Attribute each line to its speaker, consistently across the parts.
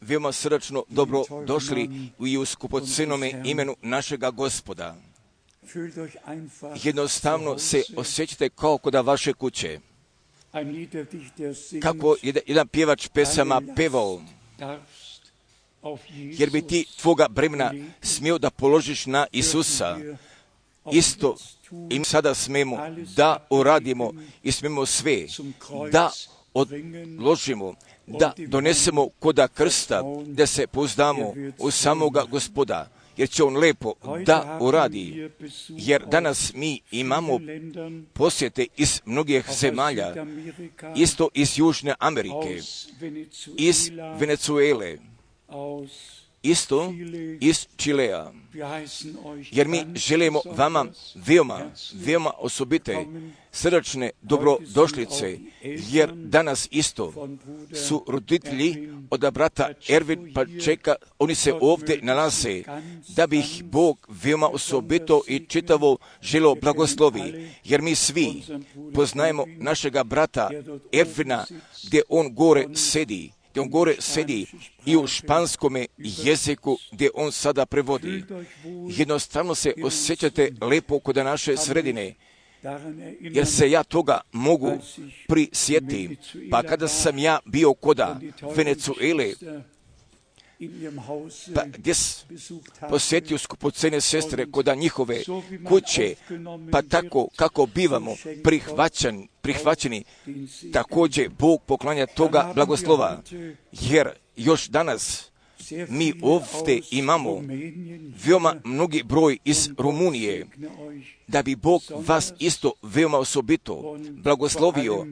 Speaker 1: Veoma srdačno dobro došli i u skupocenome imenu našega Gospoda. Jednostavno se osjećate kao kod vaše kuće. Kako jedan pjevač pesama pevao, jer bi ti tvoga bremena smio da položiš na Isusa. Isto i sada smemo da uradimo i smemo sve da odložimo, da donesemo koda krsta, da se pouzdamo u samoga Gospoda, jer će on lepo da uradi. Jer danas mi imamo posjete iz mnogih zemalja, isto iz Južne Amerike, iz Venezuele, isto iz Čilea. Jer mi želimo vama veoma osobite, srdačne dobrodošlice, jer danas isto su roditelji od brata Ervin Pačeka, oni se ovdje nalaze, da bi ih Bog veoma osobito i čitavo želeo blagoslovi, jer mi svi poznajemo našega brata Ervina, gdje on gore sedi i u španskome jeziku gdje on sada prevodi. Jednostavno se osjećate lepo kod naše sredine, jer se ja toga mogu prisjetiti. Pa kada sam ja bio koda Venezuele, pa gdje posjetio skupocene sestre koda njihove kuće, pa tako kako bivamo prihvaćeni, također Bog poklanja toga blagoslova, jer još danas mi ovdje imamo veoma mnogi broj iz Rumunije, da bi Bog vas isto veoma osobito blagoslovio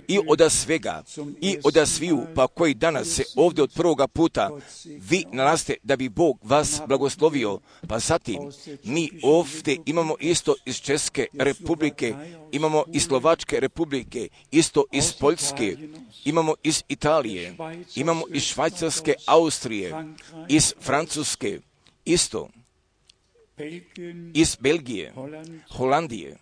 Speaker 1: i od svega, i od sviju, pa koji danas se ovdje od prvoga puta vi nalazite, da bi Bog vas blagoslovio. Pa zatim, mi ovdje imamo isto iz Česke republike, imamo iz Slovačke republike, isto iz Poljske, imamo iz Italije, imamo iz Švajcarske, Austrije, iz Francuske, isto iz Belgije, Holandije.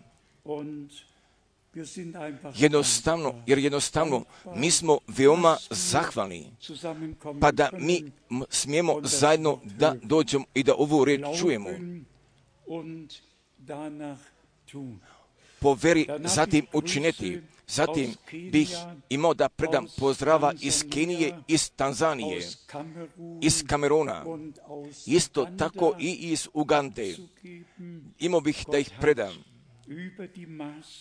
Speaker 1: Jednostavno, mi smo veoma zahvalni, pa da mi smijemo zajedno da dođemo i da ovu reč čujemo. Po veri zatim učiniti. Zatim bih imao da predam pozdrava iz Kenije, iz Tanzanije, iz Kameruna, isto tako i iz Ugande. Imao bih da ih predam.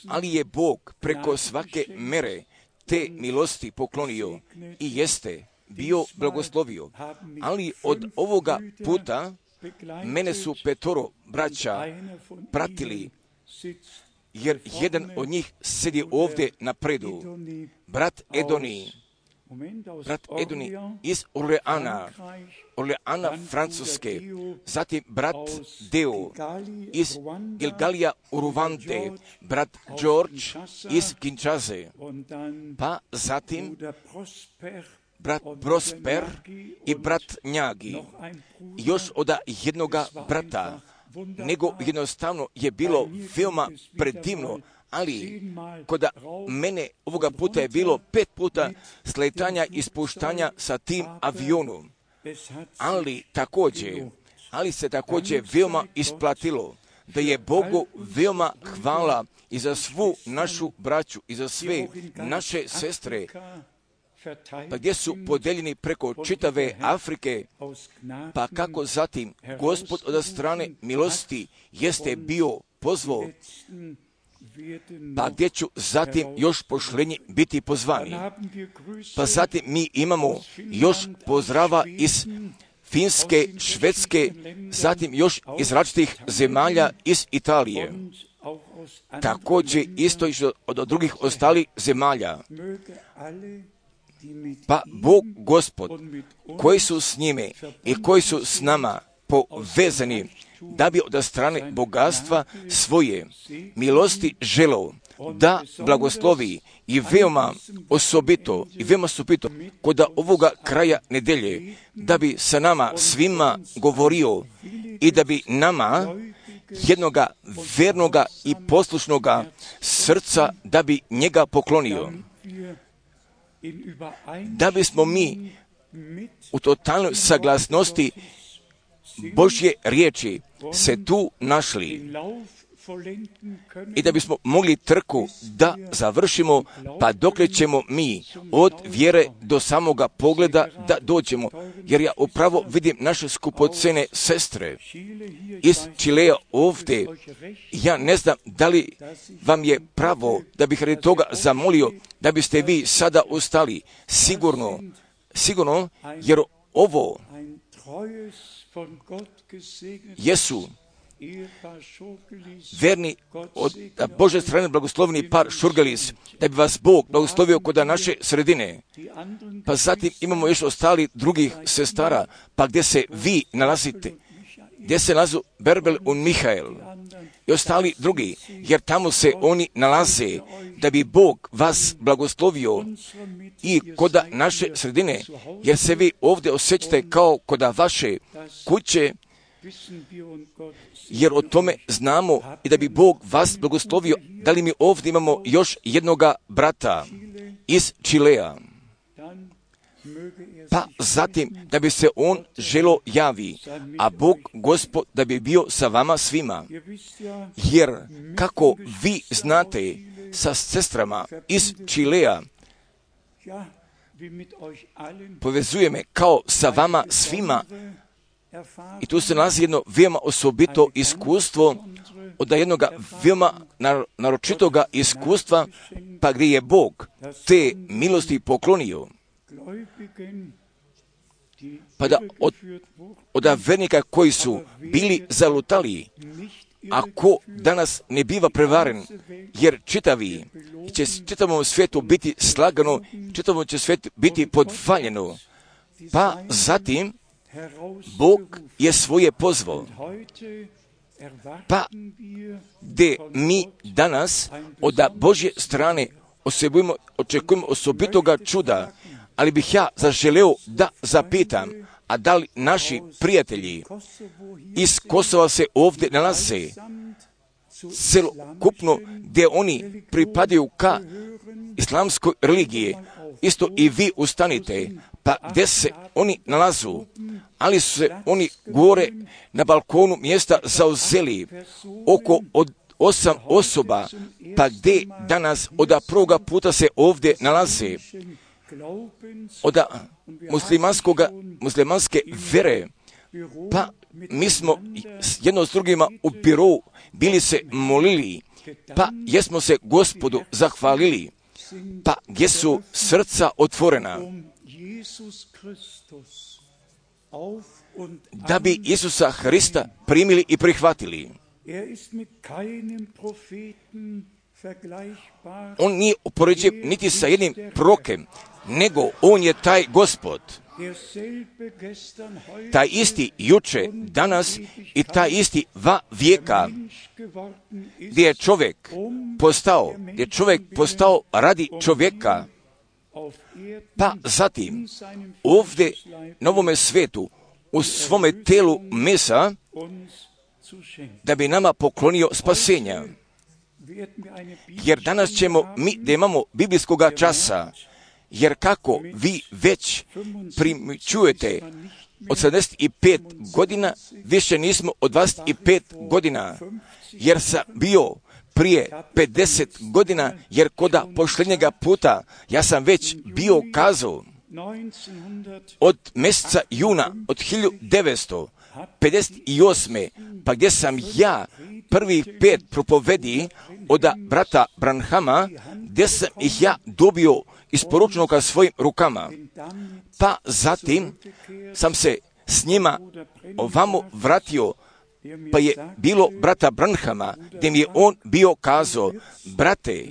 Speaker 1: Ali je Bog preko svake mere te milosti poklonio i jeste bio blagoslovio. Ali od ovoga puta mene su 5 braća pratili, jer jedan od njih sedi ovdje na predu. Brat Edoni iz Orleana, Francuske, zatim brat Deo iz Gilgalija Uruvante, brat George iz Kinshase, pa zatim brat Prosper i brat Njagi, još od jednoga brata, nego jednostavno je bilo veoma predivno, ali kod mene ovoga puta je bilo 5 puta sletanja i spuštanja sa tim avionom, ali se također veoma isplatilo, da je Bogu veoma hvala i za svu našu braću i za sve naše sestre, pa gdje su podeljeni preko čitave Afrike, pa kako zatim Gospod od strane milosti jeste bio pozvao, pa gdje ću zatim još pošlenji biti pozvani. Pa zatim mi imamo još pozdrava iz Finske, Švedske, zatim još iz različitih zemalja iz Italije. Također isto od drugih ostalih zemalja. Pa Bog Gospod, koji su s njime i koji su s nama povezani, da bi od strane bogatstva svoje milosti želeo da blagoslovi i veoma osobito kod ovoga kraja nedelje, da bi sa nama svima govorio i da bi nama jednoga vernoga i poslušnoga srca, da bi njega poklonio. da bismo mi u totalnoj saglasnosti Božje riječi se tu našli i da bismo mogli trku da završimo, pa dokle ćemo mi od vjere do samoga pogleda da dođemo. Jer ja upravo vidim naše skupocene sestre iz Čilea ovdje. Ja ne znam da li vam je pravo da bih radi toga zamolio da biste vi sada ustali. Sigurno, jer ovo jesu verni od Bože strane blagoslovni par Šurgelis, da bi vas Bog blagoslovio kod naše sredine. Pa zatim imamo još ostali drugih sestara, pa gdje se vi nalazite, gdje se nalazu Berbel i Mihael i ostali drugi, jer tamo se oni nalaze, da bi Bog vas blagoslovio i kod naše sredine, jer se vi ovdje osjećate kao kod vaše kuće, jer o tome znamo i da bi Bog vas blagoslovio. Da li mi ovdje imamo još jednoga brata iz Čilea? Pa zatim da bi se on želo javi, a Bog Gospod da bi bio sa vama svima. Jer kako vi znate sa sestrama iz Čilea, povezuje me kao sa vama svima. I tu se nalazi jedno veoma osobito iskustvo od jednog veoma naročitoga iskustva, pa gdje je Bog te milosti poklonio. Pa da od vernika koji su bili zalutali, ako danas ne biva prevaren, jer će čitavom svijetu biti slagano, čitavom će svijetu biti podvaljeno, pa zatim Bog je svoje pozvao. Pa gdje mi danas od Božje strane očekujemo osobitoga čuda, ali bih ja zaželeo da zapitam, a da li naši prijatelji iz Kosova se ovdje nalaze, celokupno gdje oni pripadaju ka islamskoj religiji, isto i vi ustanite, pa gdje se oni nalazu, ali su se oni gore na balkonu mjesta zauzeli oko od 8 osoba, pa gdje danas od prvoga puta se ovdje nalaze, od muslimanske vere, pa mi smo jedno s drugima u birou bili se molili, pa jesmo se Gospodu zahvalili, pa gdje su srca otvorena, da bi Isusa Hrista primili i prihvatili. On nije upoređiv niti sa jednim prorokem, nego on je taj Gospod. Taj isti juče, danas i taj isti va vijeka, gdje je čovjek postao radi čovjeka, pa zatim ovdje na ovome svijetu u svome telu mesa, da bi nama poklonio spasenja. Jer danas ćemo mi da imamo biblijskoga časa, jer kako vi već primjećujete od 75 godina, više nismo od 25 godina, jer sam bio prije 50 godina, jer koda posljednjega puta ja sam već bio kazao od mjeseca juna od 1958. pa gdje sam ja prvih 5 propovedi od brata Branhama, gdje sam ih ja dobio isporučeno ka svojim rukama, pa zatim sam se s njima ovamo vratio, pa je bilo brata Branhama, gdje mi je on bio kazao, brate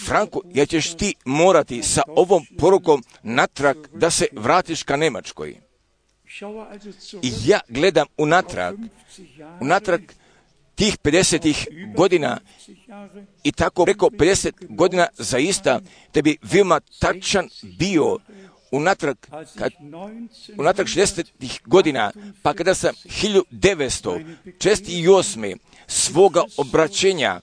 Speaker 1: Franko, ja ćeš ti morati sa ovom porukom natrag da se vratiš ka Njemačkoj. I ja gledam unatrag tih 50 godina i tako preko 50 godina zaista da bi veoma tačan bio unatrag 60 godina, pa kada sam 1968. svoga obraćenja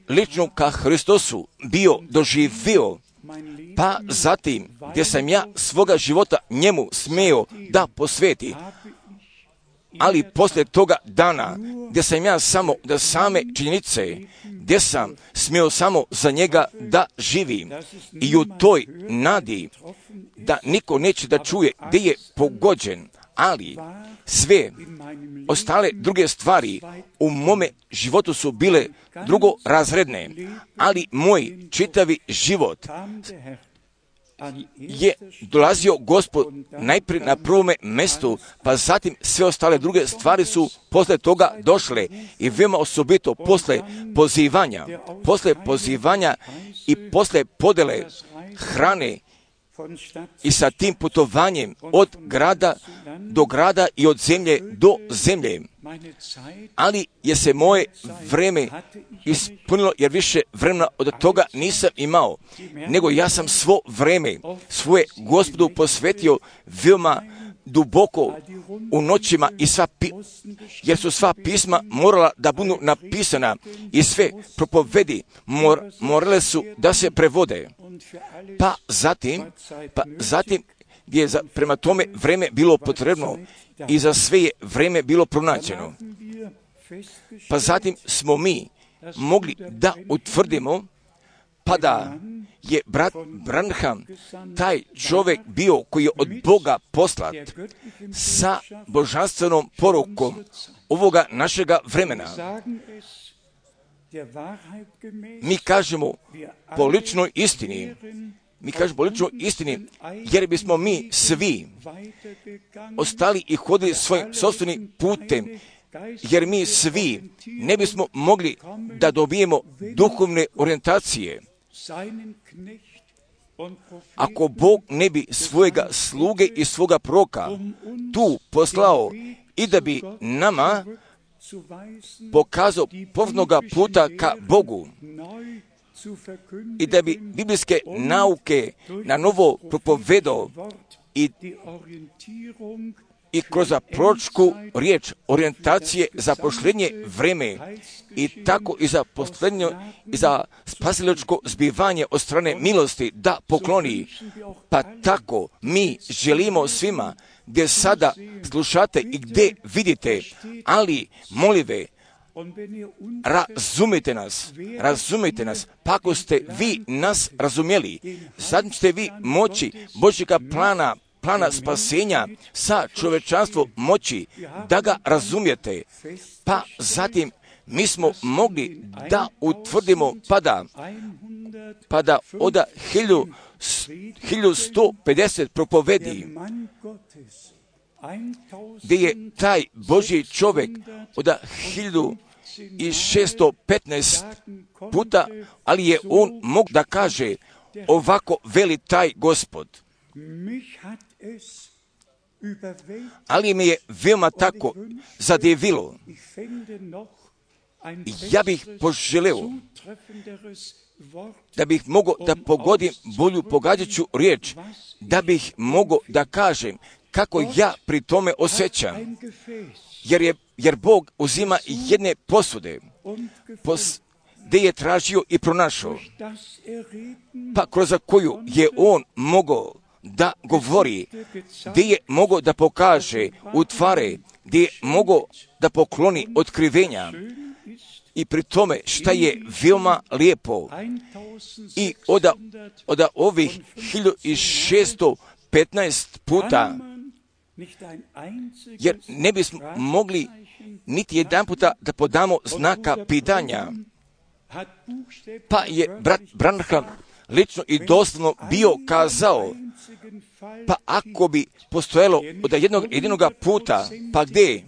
Speaker 1: lično ka Hristosu bio doživio, pa zatim gdje sam ja svoga života njemu smeo da posveti, ali poslije toga dana gdje sam ja samo da same činjenice, gdje sam smio samo za njega da živim i u toj nadi da niko neće da čuje gdje je pogođen, ali sve ostale druge stvari u mome životu su bile drugorazredne, ali moj čitavi život je dolazio Gospod najprije na prvome mjestu, pa zatim sve ostale druge stvari su posle toga došle i veoma osobito posle pozivanja i posle podele hrane i sa tim putovanjem od grada do grada i od zemlje do zemlje. Ali je se moje vreme ispunilo, jer više vremena od toga nisam imao, nego ja sam svo vreme svoje Gospodu posvetio veoma duboko u noćima i jer su sva pisma morala da budu napisana i sve propovedi morale su da se prevode. Pa zatim gdje je prema tome vreme bilo potrebno i za sve je vreme bilo pronađeno. Pa zatim smo mi mogli da utvrdimo, pa da je brat Branham taj čovjek bio koji je od Boga poslat sa božanstvenom porukom ovoga našega vremena. Mi kažemo po ličnoj istini, jer bismo mi svi ostali i hodili svojim sopstvenim putem, jer mi svi ne bismo mogli da dobijemo duhovne orijentacije ako Bog ne bi svojega sluge i svoga proroka tu poslao i da bi nama pokazao povnoga puta ka Bogu i da bi biblijske nauke na novo propovedao i kroz proročku riječ orijentacije za poštenje vreme i tako i za posljednje i za spasilačko zbivanje od strane milosti da pokloni. Pa tako mi želimo gdje sada slušate i gdje vidite, ali molive, razumijte nas, pa ako ste vi nas razumjeli, sad ćete vi moći Božjega plana spasenja sa čovečanstvom moći da ga razumijete. Pa zatim mi smo mogli da utvrdimo pa da od 1150 propovedi gdje je taj Božji čovjek od 1615 puta, ali je on mogu da kaže ovako veli taj Gospod. Ali me je veoma tako zadivilo. Ja bih poželeo da bih mogao da pogodim bolju pogađajuću riječ, da bih mogao da kažem kako ja pri tome osjećam. Jer Bog uzima jedne posude, gdje je tražio i pronašao, pa kroz koju je on mogao da govori, gdje je mogao da pokaže utvare, gdje je mogao da pokloni otkrivenja. I pri tome šta je veoma lijepo i od ovih 1615 puta, jer ne bismo mogli niti jedan puta da podamo znaka pitanja, pa je brat Branham lično i doslovno bio kazao, pa ako bi postojalo od jednog puta, pa gdje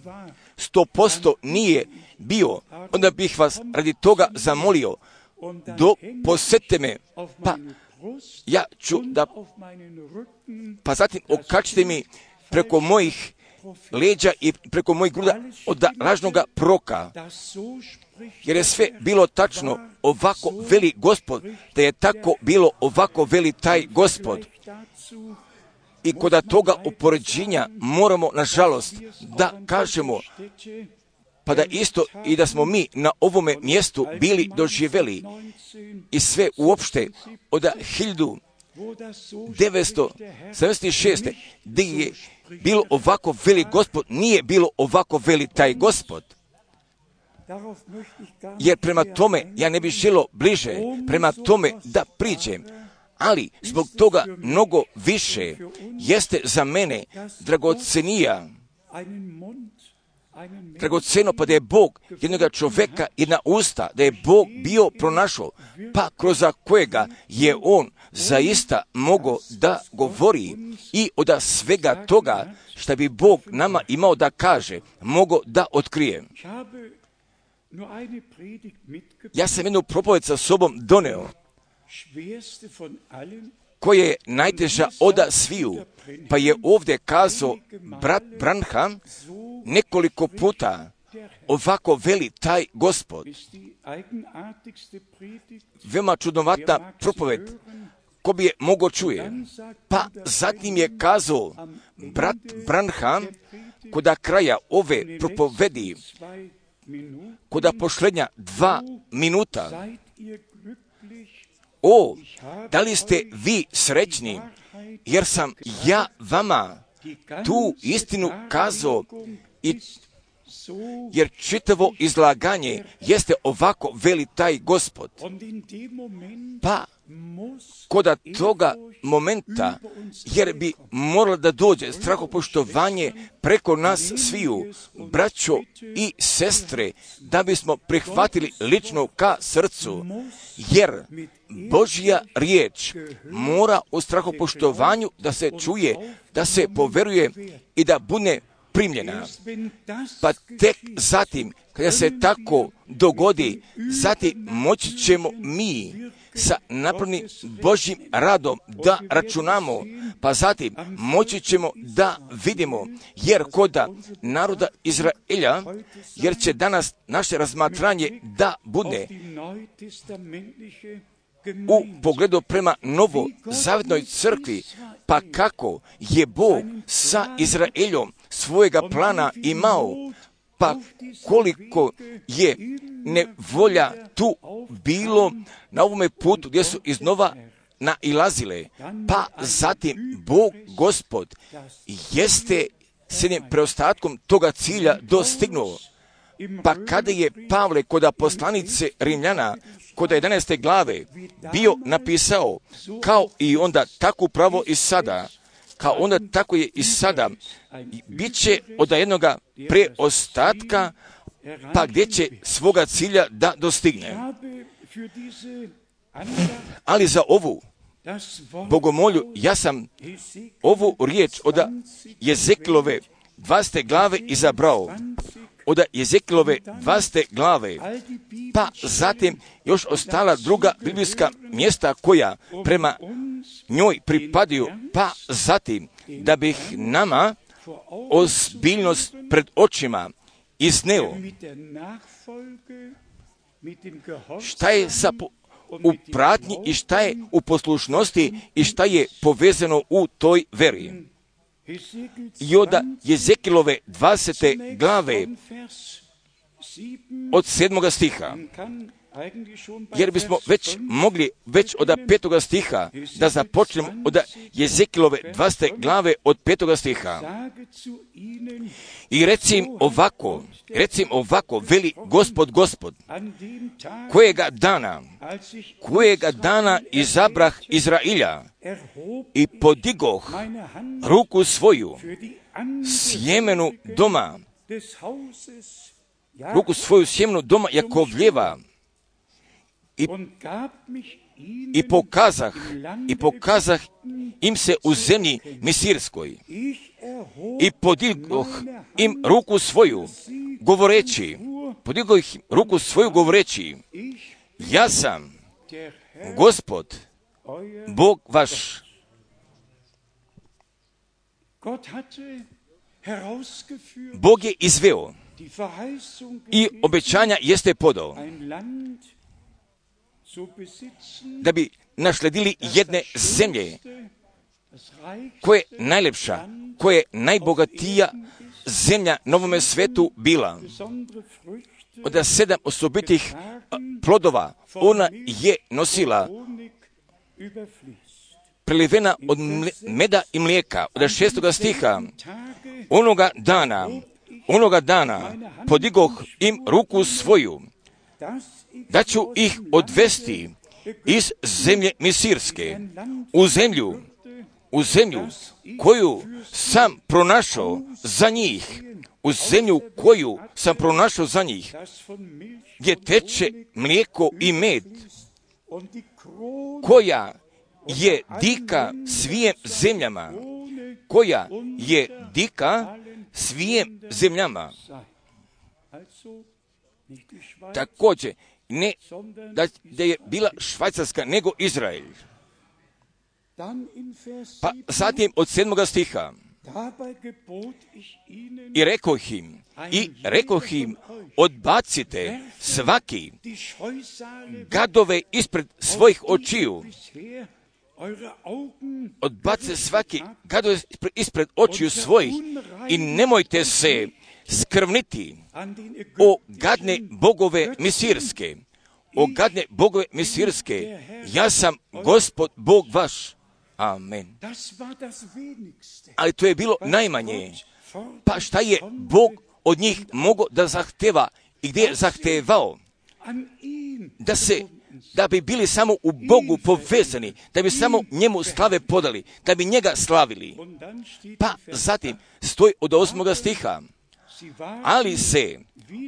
Speaker 1: 100% nije bio, onda bih vas radi toga zamolio, posjetite me, pa ja ću da, pa zatim okačite mi preko mojih leđa i preko mojih gruda od lažnoga proroka, jer je sve bilo tačno, ovako veli Gospod, da je tako bilo, ovako veli taj Gospod. I kod toga upoređenja moramo, nažalost, da kažemo, pa da isto i da smo mi na ovome mjestu bili doživjeli i sve uopšte od 1976. gdje je bilo ovako veli Gospod, nije bilo ovako veli taj Gospod. Jer prema tome, ja ne bih želio bliže, prema tome da priđem, ali zbog toga mnogo više jeste za mene dragoceno, pa da je Bog jednoga čovjeka, jedna usta, da je Bog bio pronašao, pa kroz kojega je On zaista mogao da govori i od svega toga što bi Bog nama imao da kaže, mogao da otkrije. Ja sam jednu propoved sa sobom doneo, koja je najteža od sviju, pa je ovdje kazao brat Branham nekoliko puta, ovako veli taj Gospod. Veoma čudnovata propoved, ko bi je mogao čuje. Pa zatim je kazao brat Branham, kod kraja ove propovedi, kod posljednja 2 minuta, o, da li ste vi srećni, jer sam ja vama tu istinu kazao, jer čitavo izlaganje jeste ovako veli taj Gospod. Pa kod toga momenta, jer bi moralo da dođe strahopoštovanje preko nas sviju, braćo i sestre, da bismo prihvatili lično ka srcu, jer Božja riječ mora u strahopoštovanju da se čuje, da se poveruje i da bude primljena. Pa tek zatim, kada se tako dogodi, zatim moći ćemo mi sa napravnim Božjim radom da računamo, pa zatim moći ćemo da vidimo, jer kod naroda Izraelja, jer će danas naše razmatranje da bude u pogledu prema novozavjetnoj crkvi, pa kako je Bog sa Izraeljom svojega plana imao, pa koliko je nevolja tu bilo na ovome putu gdje su iznova nailazile, pa zatim Bog Gospod jeste s jednim preostatkom toga cilja dostignuo. Pa kada je Pavle kod poslanice Rimljana, kod 11. glave, bio napisao, kao i onda tako upravo i sada, kao onda tako je i sada, bit će od jednoga preostatka, pa gdje će svoga cilja da dostigne. Ali za ovu bogomolju, ja sam ovu riječ od Jezekilove 20. glave izabrao, od Jezekilove 20. glave, pa zatim još ostala druga biblijska mjesta koja prema njoj pripadaju, pa zatim da bih nama ozbiljnost pred očima izneo. Šta je u pratnji i šta je u poslušnosti i šta je povezano u toj veri. I od Jezekilove 20. glave od 7. stiha, jer bismo već mogli od 5. stiha da započnemo od Jezekilove 20. glave od 5. stiha. I recim ovako, veli Gospod, kojega dana izabrah Izrailja i podigoh ruku svoju sjemenu doma Jakovljeva i pokazah im se u zemlji Misirskoj i podigoh im ruku svoju govoreći, ja sam Gospod, Bog vaš. Bog je izveo i obećanja jeste podao da bi nasledili jedne zemlje koja je najlepša, koja je najbogatija zemlja na ovome svetu bila. Od 7 osobitih plodova ona je nosila prelivena od meda i mlijeka. Od 6. stiha. Onoga dana podigoh im ruku svoju, da ću ih odvesti iz zemlje Misirske, u zemlju koju sam pronašao za njih, gdje teče mlijeko i med, koja je dika svijem zemljama, također ne da je bila Švajcarska, nego Izrael. Pa zatim od 7. stiha. I rekoh im, odbacite svaki gadove ispred svojih očiju. Odbacite svaki gadove ispred očiju svojih i nemojte se skrvniti o gadne bogove Misirske. Ja sam Gospod Bog vaš. Amen. Ali to je bilo najmanje. Pa šta je Bog od njih mogao da zahteva i gdje je zahtevao? Da bi bili samo u Bogu povezani, da bi samo njemu slave podali, da bi njega slavili. Pa zatim stoji od 8. stiha. Ali se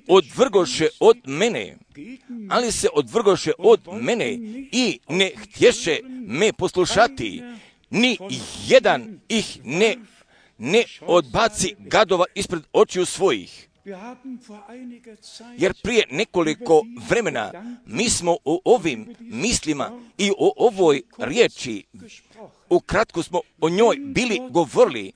Speaker 1: odvrgoše od mene i ne htješe me poslušati, ni jedan ih ne odbaci gadova ispred očiju svojih. Jer prije nekoliko vremena mi smo o ovim mislima i o ovoj riječi, ukratko smo o njoj bili govorili.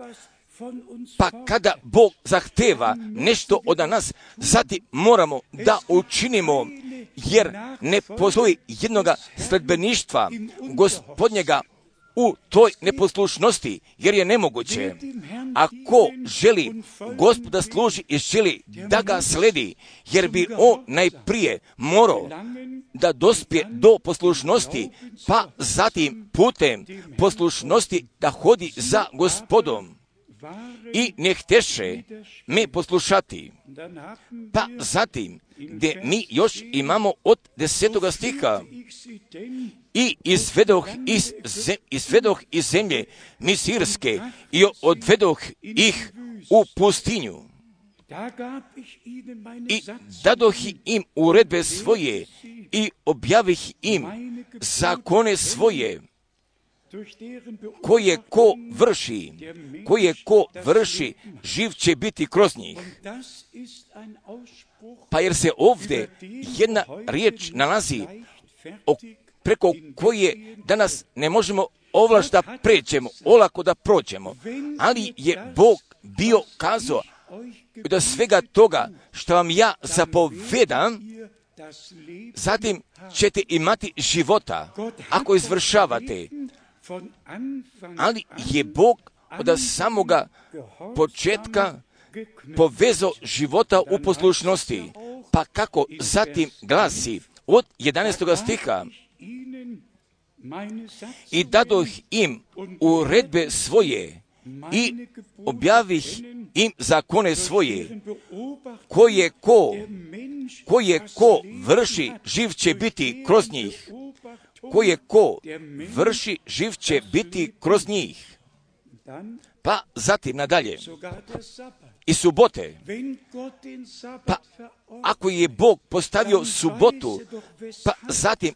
Speaker 1: Pa kada Bog zahteva nešto od nas, zatim moramo da učinimo, jer ne postoji jednoga sledbeništva Gospodnjega u toj neposlušnosti, jer je nemoguće. Ako želi Gospoda služi i želi da ga sledi, jer bi on najprije morao da dospije do poslušnosti, pa zatim putem poslušnosti da hodi za Gospodom. I ne hteše me poslušati. Pa zatim, gdje mi još imamo od 10. stiha. I izvedoh iz zemlje Misirske i odvedoh ih u pustinju. I dadoh im uredbe svoje i objavih im zakone svoje, koje ko vrši, živ će biti kroz njih. Pa jer se ovdje jedna riječ nalazi preko koje danas ne možemo ovlaš da pređemo, olako da prođemo, ali je Bog bio kazao da svega toga što vam ja zapovedam, zatim ćete imati života ako izvršavate. Ali je Bog od samoga početka povezao života u poslušnosti. Pa kako zatim glasi od 11. stiha. I dadoh im uredbe svoje i objavih im zakone svoje, koje ko vrši, živ će biti kroz njih. Koje ko vrši, živ će biti kroz njih. Pa zatim nadalje. I subote. Pa ako je Bog postavio subotu, pa zatim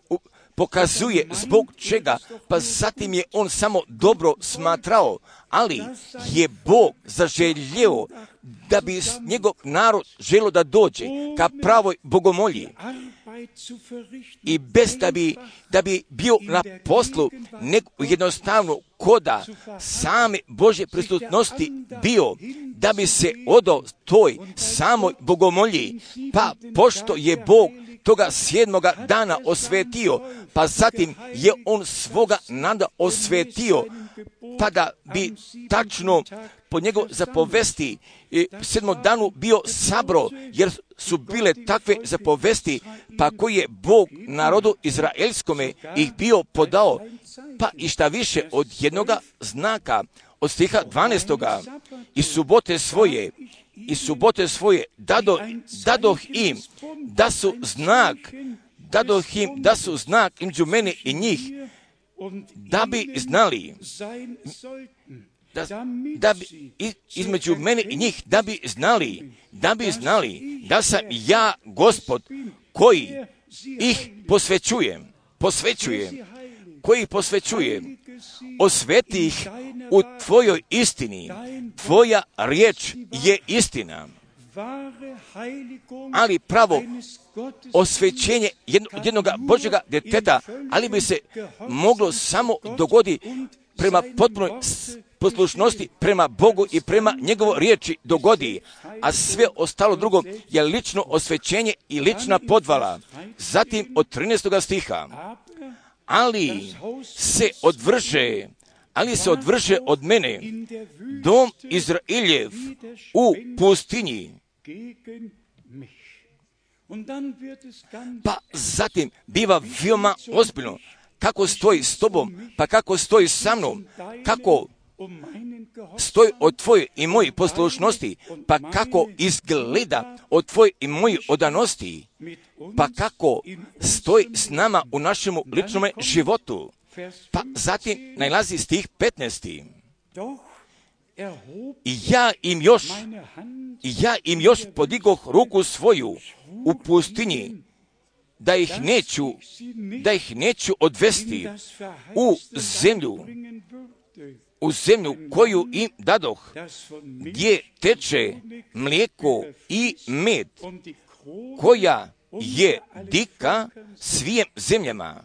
Speaker 1: pokazuje zbog čega, pa zatim je on samo dobro smatrao, ali je Bog zaželjeo da bi njegov narod želio da dođe ka pravoj bogomolji i bez da bi bio na poslu, nego jednostavno koda same Božje prisutnosti bio, da bi se odao toj samoj bogomolji, pa pošto je Bog toga 7. dana osvetio, pa zatim je on svoga nada osvetio, pa da bi tačno po njegov zapovesti 7. danu bio sabro, jer su bile takve zapovesti, pa koji je Bog narodu izraelskome ih bio podao, pa i šta više od jednoga znaka, od stiha 12. I subote svoje dadoh im da su znak između mene i njih, da bi znali, da bi između mene i njih, da bi znali da sam ja Gospod koji ih posvećuje, osveti ih u tvojoj istini, tvoja riječ je istina. Ali pravo osvećenje jednog Božjega djeteta, ali bi se moglo samo dogoditi prema potpunoj poslušnosti prema Bogu i prema njegovoj riječi dogodi, a sve ostalo drugo je lično osvećenje i lična podvala. Zatim od 13. stiha, ali se odvrže od mene dom Izraeljev u pustinji. Pa zatim biva veoma ozbiljno kako stoji s tobom, pa kako stoji sa mnom, kako stoji od tvoje i moje poslušnosti, pa kako izgleda od tvoje i moje odanosti, pa kako stoji s nama u našemu ličnome životu. Pa zatim najlazi stih 15. I ja im još podigoh ruku svoju u pustinji, da ih neću odvesti u zemlju koju im dadoh, gdje teče mlijeko i med, koja je dika svim zemljama.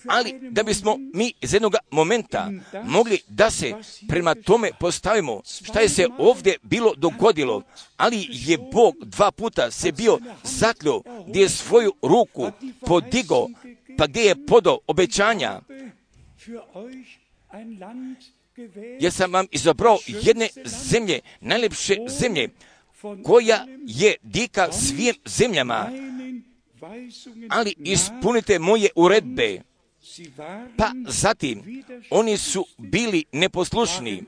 Speaker 1: Ali da bismo mi iz jednog momenta mogli da se prema tome postavimo šta je se ovdje bilo dogodilo, ali je Bog 2 puta se bio zakleo, gdje je svoju ruku podigao, pa gdje je podao obećanja. Ja sam vam izabrao jedne zemlje, najljepše zemlje, koja je dika svim zemljama, ali ispunite moje uredbe. Pa zatim, oni su bili neposlušni,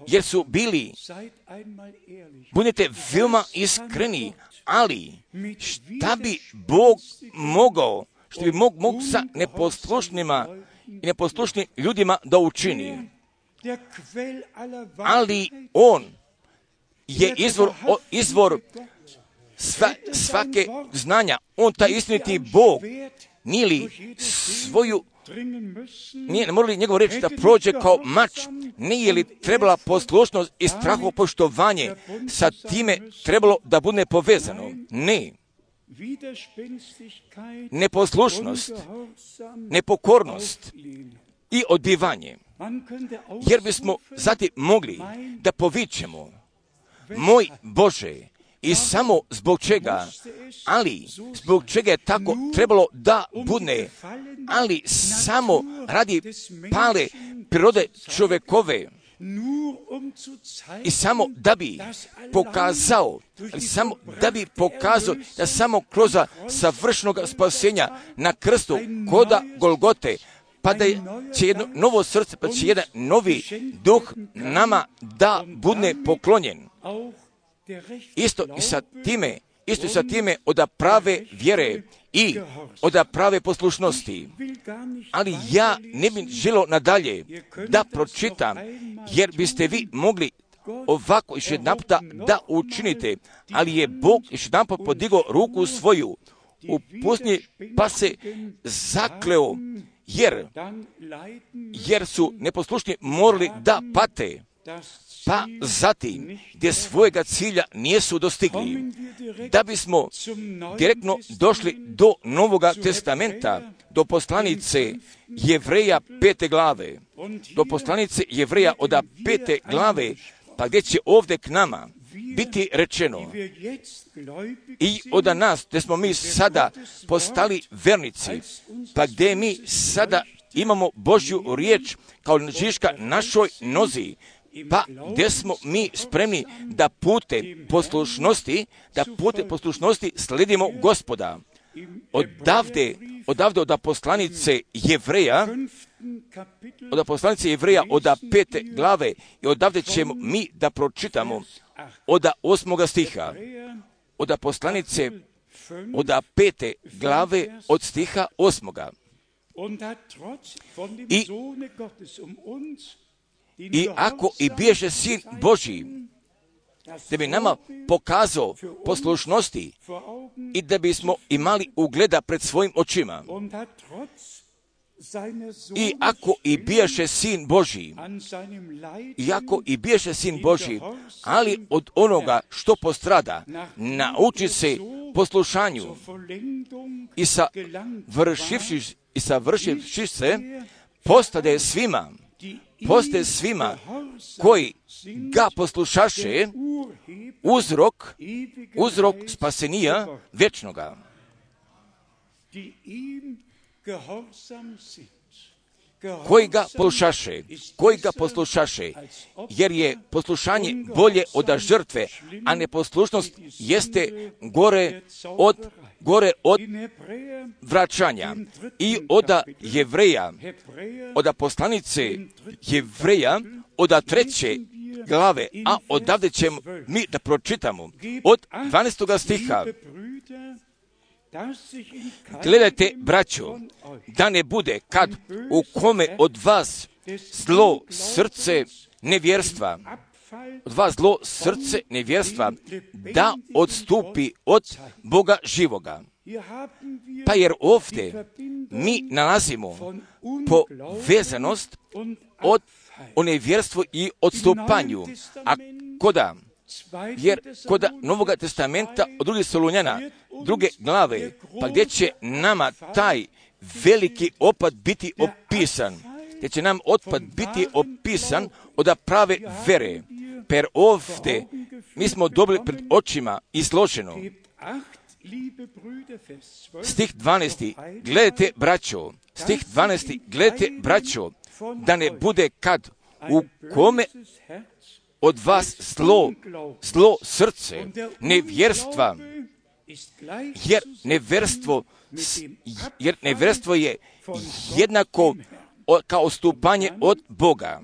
Speaker 1: jer su bili, budite veoma iskreni, ali šta bi Bog mogao, što bi mogu sa neposlušnima i neposlušnim ljudima da učini? Ali on je izvor svake znanja. On taj istiniti Bog, nije li svoju, ne mora li njegov reč da prođe kao mač, nije li trebala poslušnost i strahopoštovanje sa time trebalo da bude povezano? Ne. Neposlušnost, nepokornost i odbivanje. Jer bismo zatim mogli da povičemo, moj Bože, i samo zbog čega, ali zbog čega je tako trebalo da bude, ali samo radi pale prirode čovjekove, i samo da bi pokazao, da samo kroz savršenog spasenja na krstu koda Golgote, pa da će jedno novo srce, pa će jedan novi duh nama da bude poklonjen. Isto i sa time od prave vjere i od prave poslušnosti. Ali ja ne bih želio nadalje da pročitam, jer biste vi mogli ovako još jedan puta da učinite, ali je Bog još jedan put podigao ruku svoju u pustinji, pa se zakleo, jer su neposlušni morali da pate. Pa zatim, gdje svojega cilja nisu dostigli, da bismo direktno došli do Novoga testamenta, do poslanice Jevreja 5. glave, do poslanice Jevreja od 5. glave, pa gdje će ovdje k nama biti rečeno i od nas, gdje smo mi sada postali vernici, pa gdje mi sada imamo Božju riječ kao žiška našoj nozi, pa gdje smo mi spremni da putem poslušnosti sledimo Gospoda. Odavde od poslanice Jevreja, od 5. glave, i odavde ćemo mi da pročitamo od 8. stiha. Od poslanice od 5. glave od stiha 8. I ako i bježe Sin Božji, da bi nama pokazao poslušnosti i da bismo imali ugleda pred svojim očima. I ako i bježe Sin Božji, ali od onoga što postrada, nauči se poslušanju i savršivši se, postaje svima koji ga poslušaše uzrok spasenija vječnoga. Koji ga poslušaše, jer je poslušanje bolje od žrtve, a neposlušnost jeste gore od vraćanja. I od Jevreja, od poslanice Jevreja, od 3. glave, a odavde ćemo mi da pročitamo od 12. stiha. Gledajte, braćo, da ne bude kad u kome od vas zlo srce nevjerstva, da odstupi od Boga živoga. Pa jer ovdje mi nalazimo povezanost o nevjerstvu i odstupanju, a kod Novog testamenta od 2. Solunjana, 2. glave, pa gdje će nama taj veliki opad biti opisan, od prave vere. Per ovdje mi smo dobili pred očima izloženo. Stih 12. Gledajte, braćo, da ne bude kad u kome od vas zlo srce nevjerstva, jer nevjerstvo je jednako kao odstupanje od Boga.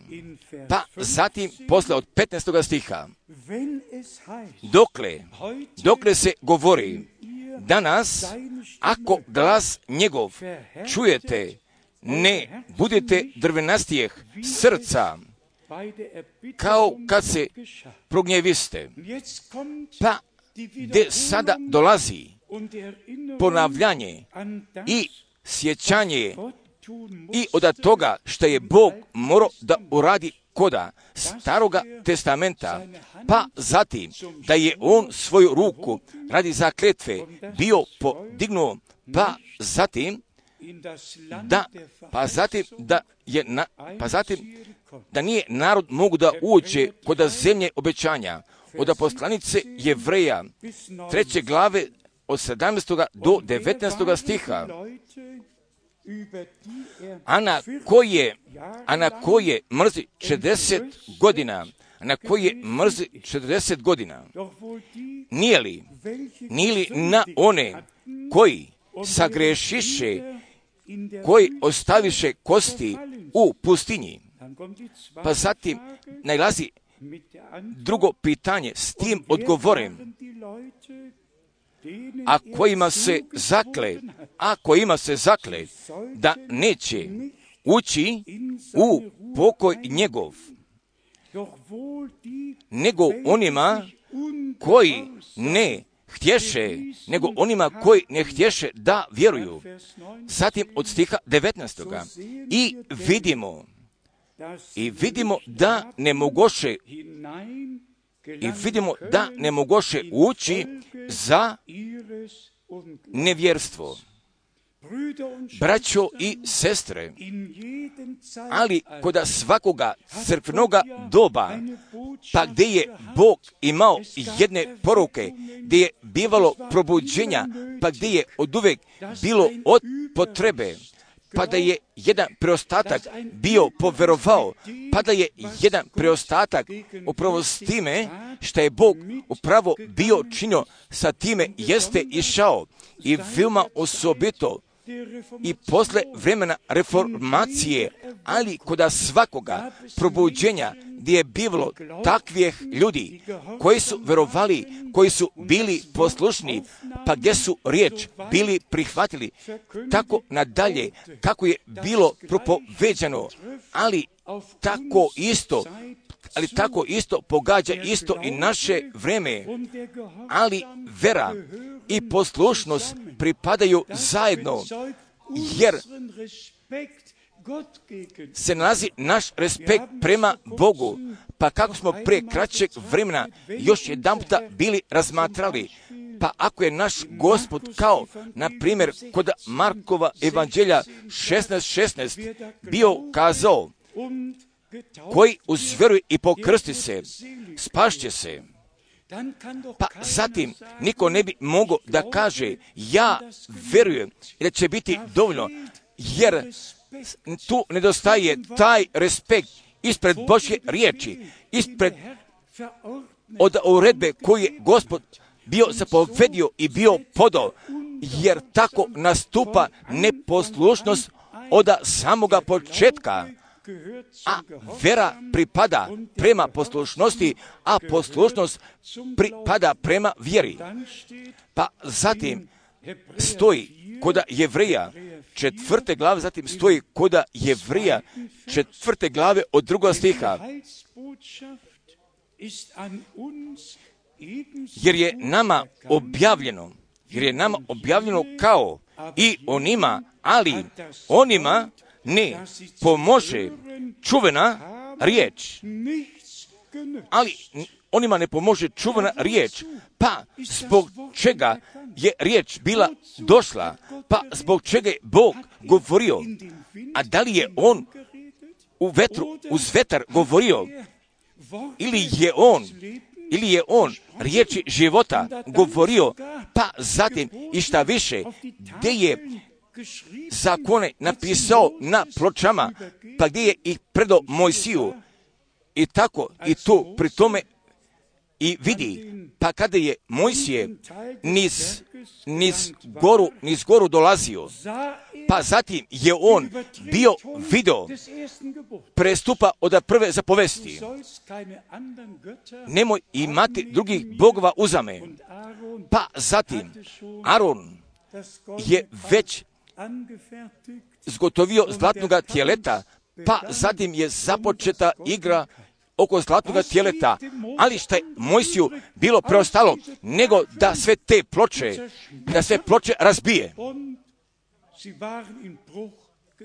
Speaker 1: Pa zatim posle od 15. stiha, dokle se govori, danas ako glas njegov čujete, ne budete drvenastijeh srca, kao kad se prognjeviste. Pa gdje sada dolazi ponavljanje i sjećanje i od toga što je Bog morao da uradi koda Staroga testamenta, pa zatim da je on svoju ruku radi zakletve bio podignuo, pa zatim da nije narod mogu da uđe kod zemlje obećanja. Od poslanice Jevreja 3. glave od 17. do 19. stiha. A na koje mrzi 40 godina, nije li na one koji sagrešiše, koji ostaviše kosti u pustinji. Pa zatim najlazi drugo pitanje, s tim odgovorim, a kojima se zakle da neće ući u pokoj njegov, nego onima koji ne htješe da vjeruju. Zatim od stiha 19. I vidimo da ne mogoše ući za nevjerstvo. Braćo i sestre, ali kod svakoga crkvenoga doba, pa gdje je Bog imao jedne poruke, gdje je bivalo probuđenja, pa gdje je oduvek bilo od potrebe, pa da je jedan preostatak bio poverovao, pa da je jedan preostatak upravo s time što je Bog upravo bio činio, sa time jeste išao i veoma osobito i posle vremena reformacije, ali kod svakoga probuđenja gdje je bilo takvih ljudi koji su verovali, koji su bili poslušni, pa gdje su riječ bili prihvatili, tako nadalje kako je bilo propoveđano, ali tako isto pogađa isto i naše vreme, ali vera i poslušnost pripadaju zajedno, jer se nalazi naš respekt prema Bogu. Pa kako smo prije kraćeg vremena još jedanputa bili razmatrali, pa ako je naš Gospod kao, na primjer, kod Markova evanđelja 16:16 bio kazao, koji uzvjeruje i pokrsti se, spašće se. Pa zatim niko ne bi mogao da kaže, ja vjerujem da će biti dovoljno, jer tu nedostaje taj respekt ispred Božje riječi, ispred od uredbe koju je Gospod bio zapovedio i bio podao, jer tako nastupa neposlušnost od samoga početka. A vera pripada prema poslušnosti, a poslušnost pripada prema vjeri. Pa zatim stoji kod Jevreja 4. glave, zatim stoji kod Jevreja 4. glave od 2. stiha. Jer je nama objavljeno kao i onima, ali onima ne pomože čuvena riječ. Ali onima ne pomože čuvena riječ. Pa zbog čega je riječ bila došla? Pa zbog čega je Bog govorio? A da li je On uz vetar govorio? Ili je on riječi života govorio? Pa zatim i šta više, gdje je zakone napisao na pločama, pa gdje je ih predao Mojsiju, i tako i tu pri tome i vidi, pa kada je Mojsije niz goru dolazio, pa zatim je on bio video prestupa od prve zapovesti. Nemoj imati drugih bogova uzame. Pa zatim Aron je već zgotovio zlatnoga tjeleta, pa zatim je započeta igra oko zlatnoga tjeleta, ali što je Mojsiju bilo preostalo, nego da sve ploče razbije.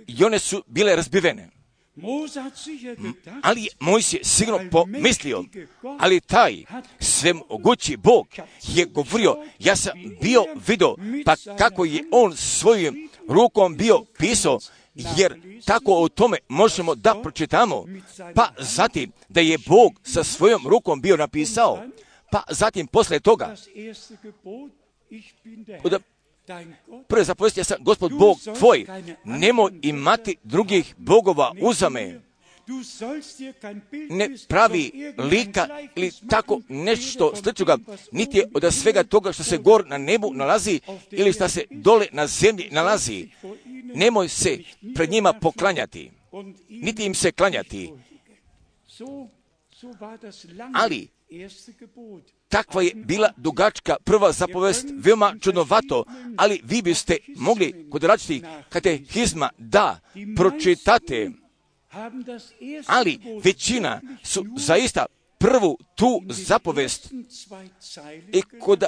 Speaker 1: I one su bile razbivene. Ali je Mojsije sigurno pomislio, ali taj svemogući Bog je govorio, ja sam bio vidio, pa kako je on svojim rukom bio pisao, jer tako o tome možemo da pročitamo, pa zatim da je Bog sa svojom rukom bio napisao, pa zatim posle toga prve zapovesti, ja sam Gospod Bog tvoj, nemoj imati drugih bogova uzame, ne pravi lika ili tako nešto sličnoga, niti je od svega toga što se gor na nebu nalazi ili što se dole na zemlji nalazi. Nemoj se pred njima poklanjati, niti im se klanjati. Ali takva je bila dugačka prva zapovest, veoma čudnovato, ali vi biste mogli kod različitih katehizma da pročitate, ali većina su zaista prvu tu zapovest i kod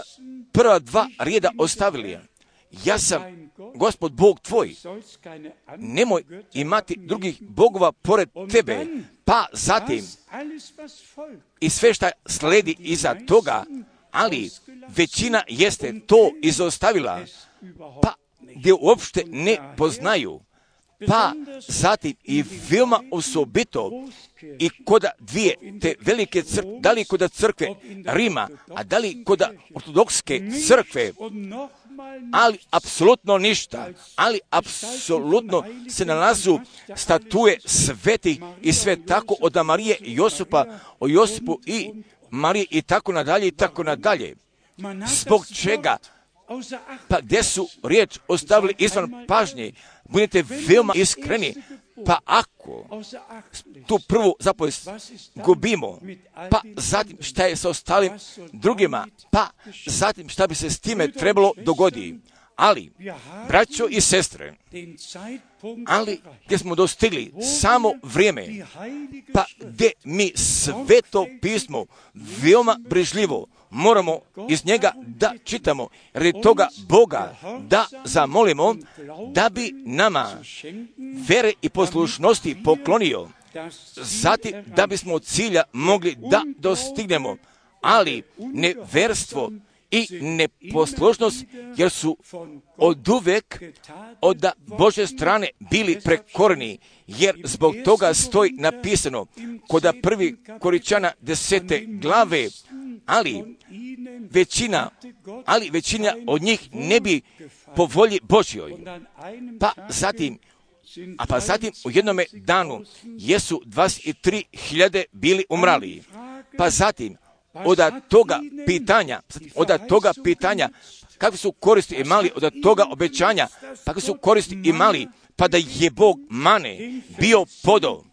Speaker 1: prva dva rijeda ostavili. Ja sam Gospod Bog tvoj, nemoj imati drugih bogova pored tebe, pa zatim i sve šta sledi iza toga, ali većina jeste to izostavila, pa gdje uopšte ne poznaju, pa zatim i veoma osobito i kod dvije te velike crkve, da li kod crkve Rima, a da li kod ortodokske crkve, ali apsolutno ništa, ali apsolutno se nalazu statue svetih i sve tako od Marije i Josipa, o Josipu i Marije i tako nadalje i tako nadalje. Zbog čega? Pa gdje su riječ ostavili izvan pažnje? Budite veoma iskreni. Pa ako tu prvu zapovijest gubimo, pa zatim šta je sa ostalim drugima, pa zatim šta bi se s time trebalo dogoditi. Ali, braćo i sestre, ali gdje smo dostigli samo vrijeme, pa gdje mi sveto pismo veoma brižljivo moramo iz njega da čitamo, radi toga Boga da zamolimo da bi nama vere i poslušnosti poklonio, zatim da bismo od cilja mogli da dostignemo, ali neverstvo i neposlušnost, jer su oduvek od Božje strane bili prekorni, jer zbog toga stoji napisano kod 1. Korinćana 10. glave, ali većina od njih ne bi po volji Božjoj. Pa zatim u jednome danu jesu 23.000 bili umrali. Pa zatim od toga pitanja kakve su koristi imali od toga obećanja, kakve su koristi imali, pa da je Bog mane bio podao.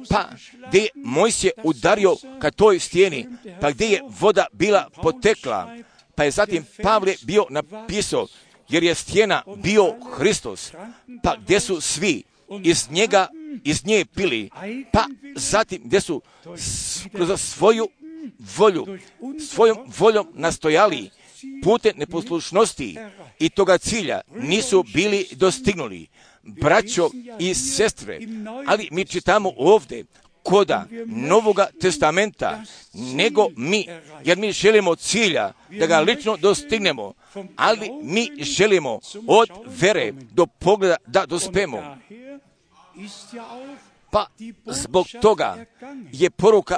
Speaker 1: Pa gdje je Mojsije udario ka toj stijeni, pa gdje je voda bila potekla, pa je zatim Pavle bio napisao, jer je stijena bio Hristos, pa gdje su svi iz nje pili, pa zatim gdje su kroz svojom voljom nastojali putem neposlušnosti i toga cilja nisu bili dostignuli. Braćo i sestre, ali mi čitamo ovdje koda Novoga testamenta, nego mi, jer mi želimo cilja da ga lično dostignemo, ali mi želimo od vere do pogleda da dospemo. Pa zbog toga je poruka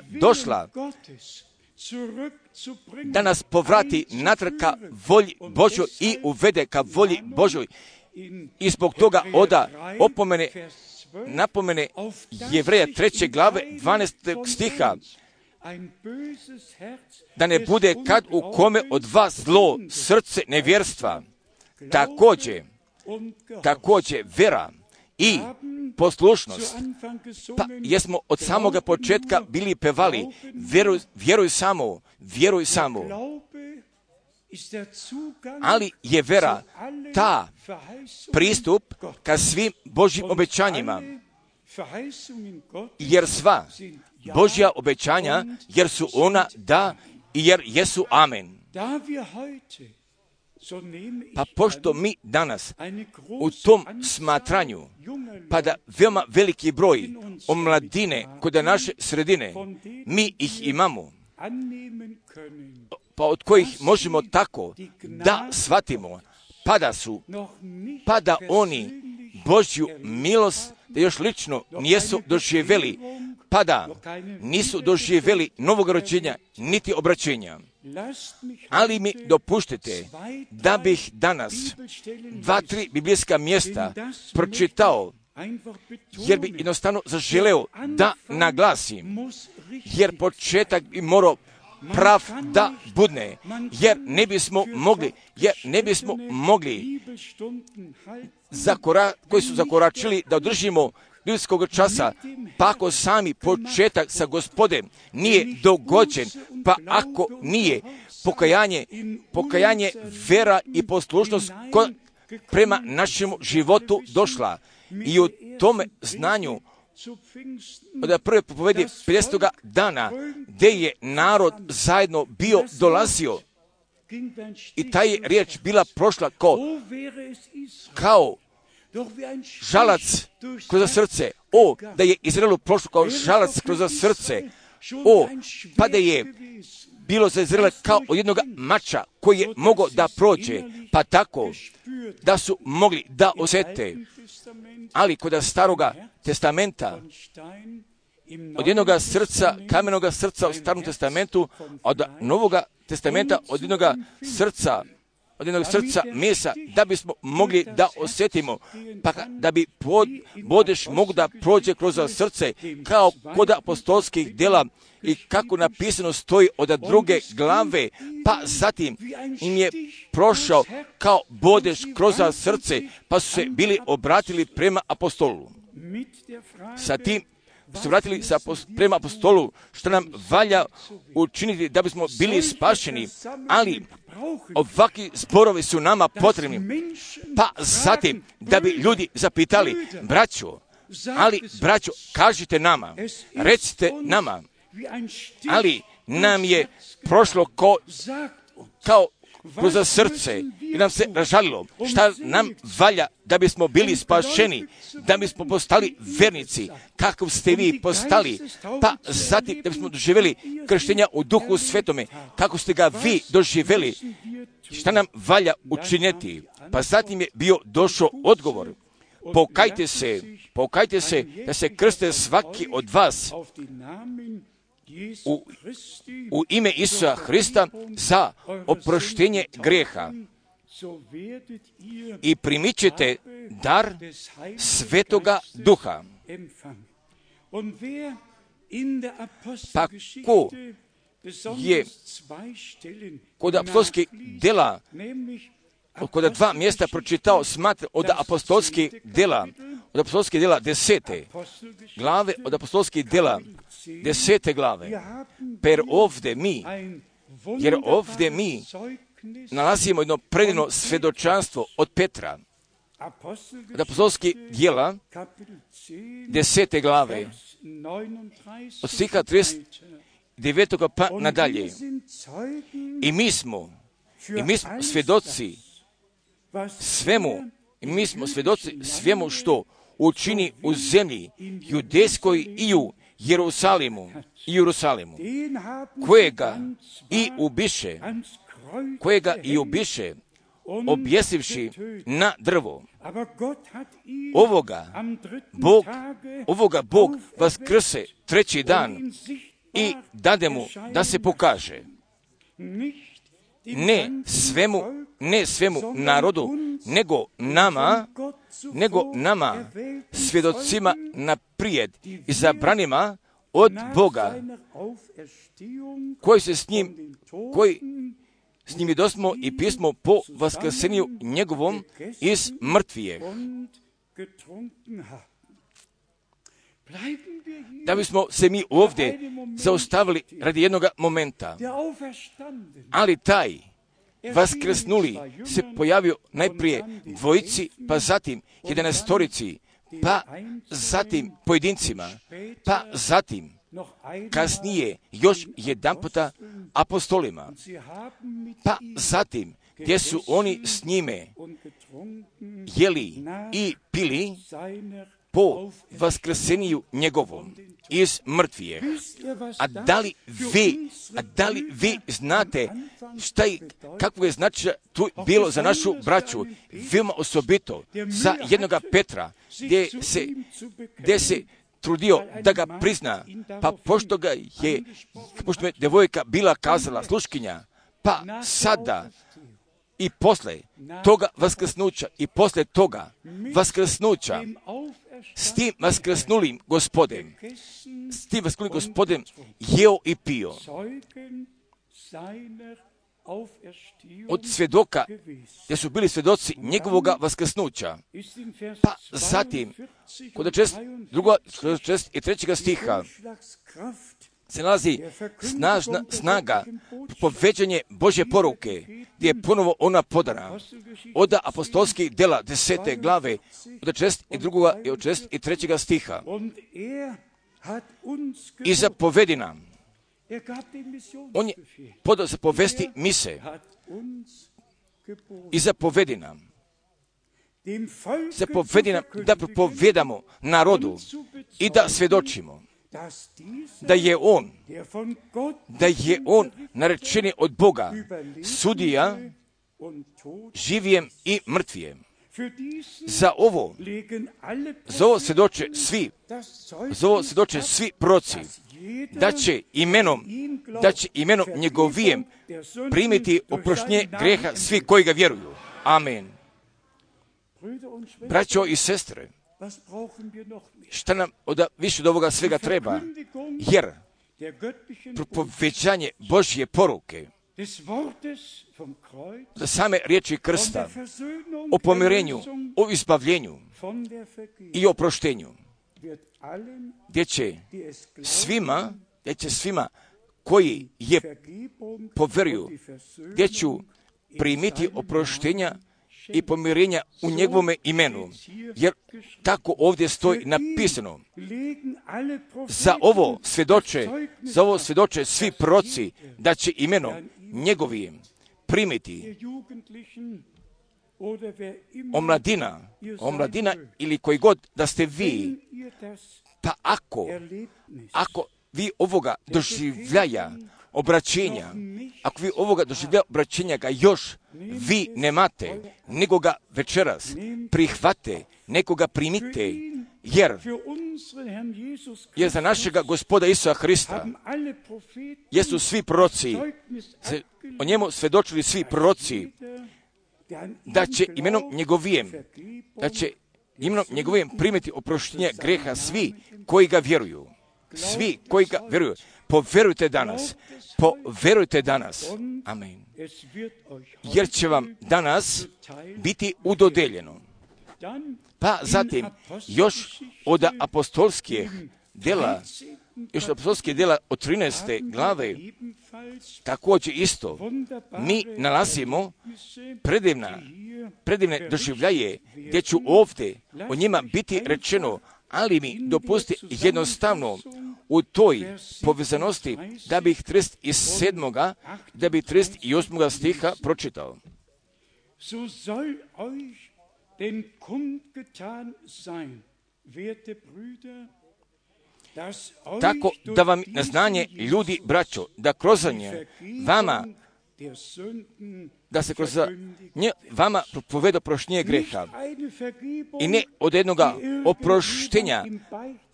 Speaker 1: došla, da nas povrati natrag ka volji Božoj i uvede ka volji Božoj. I zbog toga napomene Jevreja 3. glave 12. stiha, da ne bude kad u kome od vas zlo srce nevjerstva. Također vera i poslušnost. Pa jesmo od samoga početka bili pevali, vjeruj samo. Ali je vera ta pristup ka svim Božjim obećanjima, jer sva Božja obećanja, jer su ona da i jer jesu amen. Pa pošto mi danas u tom smatranju, pa da veoma veliki broj omladine kod naše sredine, mi ih imamo, pa od kojih možemo tako da shvatimo, pa da oni Božju milost da još lično nisu doživjeli, pa da nisu doživjeli novog rođenja niti obraćenja. Ali mi dopuštite da bih danas 2-3 biblijska mjesta pročitao, jer bi jednostavno zaželeo da naglasim, jer početak bi morao prav da budne, jer ne bismo mogli koji su zakoračili da održimo biblijskog časa, pa ako sami početak sa Gospodem nije dogođen, pa ako nije pokajanje, vera i poslušnost prema našemu životu došla, i u tome znanju od prve propovedi 50. dana, gdje je narod zajedno bio dolazio, i ta je riječ bila prošla kao žalac kroz srce. Da je Izraelu prošlo kao žalac kroz srce. Pa da je bilo za Izraela kao od jednog mača koji je mogao da prođe, pa tako da su mogli da osjete. Ali kod Staroga testamenta, od jednoga srca, kamenoga srca u Starom testamentu, od Novoga testamenta, od jednog srca mesa, da bismo mogli da osjetimo, pa da bi bodež mogu da prođe kroz srce, kao kod apostolskih djela i kako napisano stoji od druge glave, pa zatim im je prošao kao bodež kroz srce, pa su se bili obratili prema apostolu. Sa tim su vratili prema apostolu, što nam valja učiniti da bismo bili spašeni, ali ovakvi zborovi su nama potrebni. Pa zatim, da bi ljudi zapitali, braćo, kažite nama, recite nama, ali nam je prošlo kao kroz srce i nam se ražalilo šta nam valja da bismo bili spašeni, da bismo postali vernici, kako ste vi postali, pa zatim da bismo doživjeli krštenja u Duhu Svetome, kako ste ga vi doživjeli, šta nam valja učiniti. Pa zatim je bio došao odgovor, pokajte se da se krste svaki od vas u ime Isusa Hrista za oproštenje grijeha i primit ćete dar Svetoga Duha. Pa ko je kod apostolskih djela, kod dva mjesta pročitao, smatra od apostolskih djela 10. glave, od apostolskih djela 10. glave, jer ovdje mi nalazimo jedno predivno svjedočanstvo od Petra, od apostolskih djela 10. glave, od stiha 39. pa nadalje. I mi smo svjedoci svemu što učini u zemlji judejskoj i u Jerusalimu, kojega i ubiše, objesivši na drvo. Ovoga Bog vaskrse treći dan i dade mu da se pokaže. Ne svemu narodu, nego nama, svjedocima naprijed, izabranima od Boga, koji s njim dosmo i pismo po vaskrsenju njegovom iz mrtvijeg. Da bismo se mi ovdje zaustavili radi jednog momenta, ali taj vaskrsnuli se pojavio najprije dvojici, pa zatim 11, pa zatim pojedincima, pa zatim kasnije još jedanputa apostolima, pa zatim gdje su oni s njime jeli i pili po vaskrseniju njegovom iz mrtvijeg. A da li vi znate kakvo je značaj tu bilo za našu braću, veoma osobito za jednoga Petra, gdje se trudio da ga prizna, pa pošto je devojka bila kazala sluškinja, pa sada i posle toga vaskrsnuća i posle toga vaskrsnuća s tim vaskrsnulim gospodem jeo i pio. Od svjedoka, gdje su bili svjedoci njegovoga vaskrsnuća. Pa zatim, kod 43. stiha se nalazi snaga povećanje Božje poruke, gdje je ponovo ona podana. Od apostolskih djela 10. glave, od 62. i od 63. stiha. I zapovedi nam. On je podao zapovesti mise. I zapovedi nam. Zapovedi nam da propovedamo narodu i da svjedočimo da je on narečeni od Boga, sudija živijem i mrtvijem. Za ovo svjedoče svi proroci, da će imenom da će imenom njegovijem primiti oproštenje greha svi koji ga vjeruju. Amen. Braćo i sestre, šta nam više od ovoga svega treba? Jer propoveđanje Božje poruke, za same riječi krsta, o pomirenju, o izbavljenju i oproštenju, gdje će svima koji je poveruju, gdje ću primiti oproštenja i pomirenja u njegovome imenu, jer tako ovdje stoji napisano. Za ovo svjedoče svi proroci da će imenom njegovim primiti omladina ili koji god da ste vi. Pa ako vi ovoga doživljaja obraćenja, ako vi ovoga doživljaja obraćenja ga još vi nemate, nego ga večeras prihvate, nego ga primite, jer za našega Gospoda Isusa Hrista jesu svi proroci, o njemu svjedočili svi proroci, da će imenom njegovijem primiti oproštenje greha svi koji ga vjeruju. Svi koji ga vjeruju. Poverujte danas. Amen. Jer će vam danas biti udodeljeno. Pa zatim, još od apostolskih djela od 13. glave, također isto, mi nalazimo predivne doživljaje, gdje ću ovdje o njima biti rečeno, ali mi dopusti jednostavno u toj povezanosti da bih 37. da bih 38. stiha pročitao.
Speaker 2: So soll euch denn kundgetan sein, werte Brüder, dass euch
Speaker 1: tako da vam na znanje ljudi, braćo, da kroz nje vama, da se kroz nje vama propoveda oproštenje greha i ne od jednoga oproštenja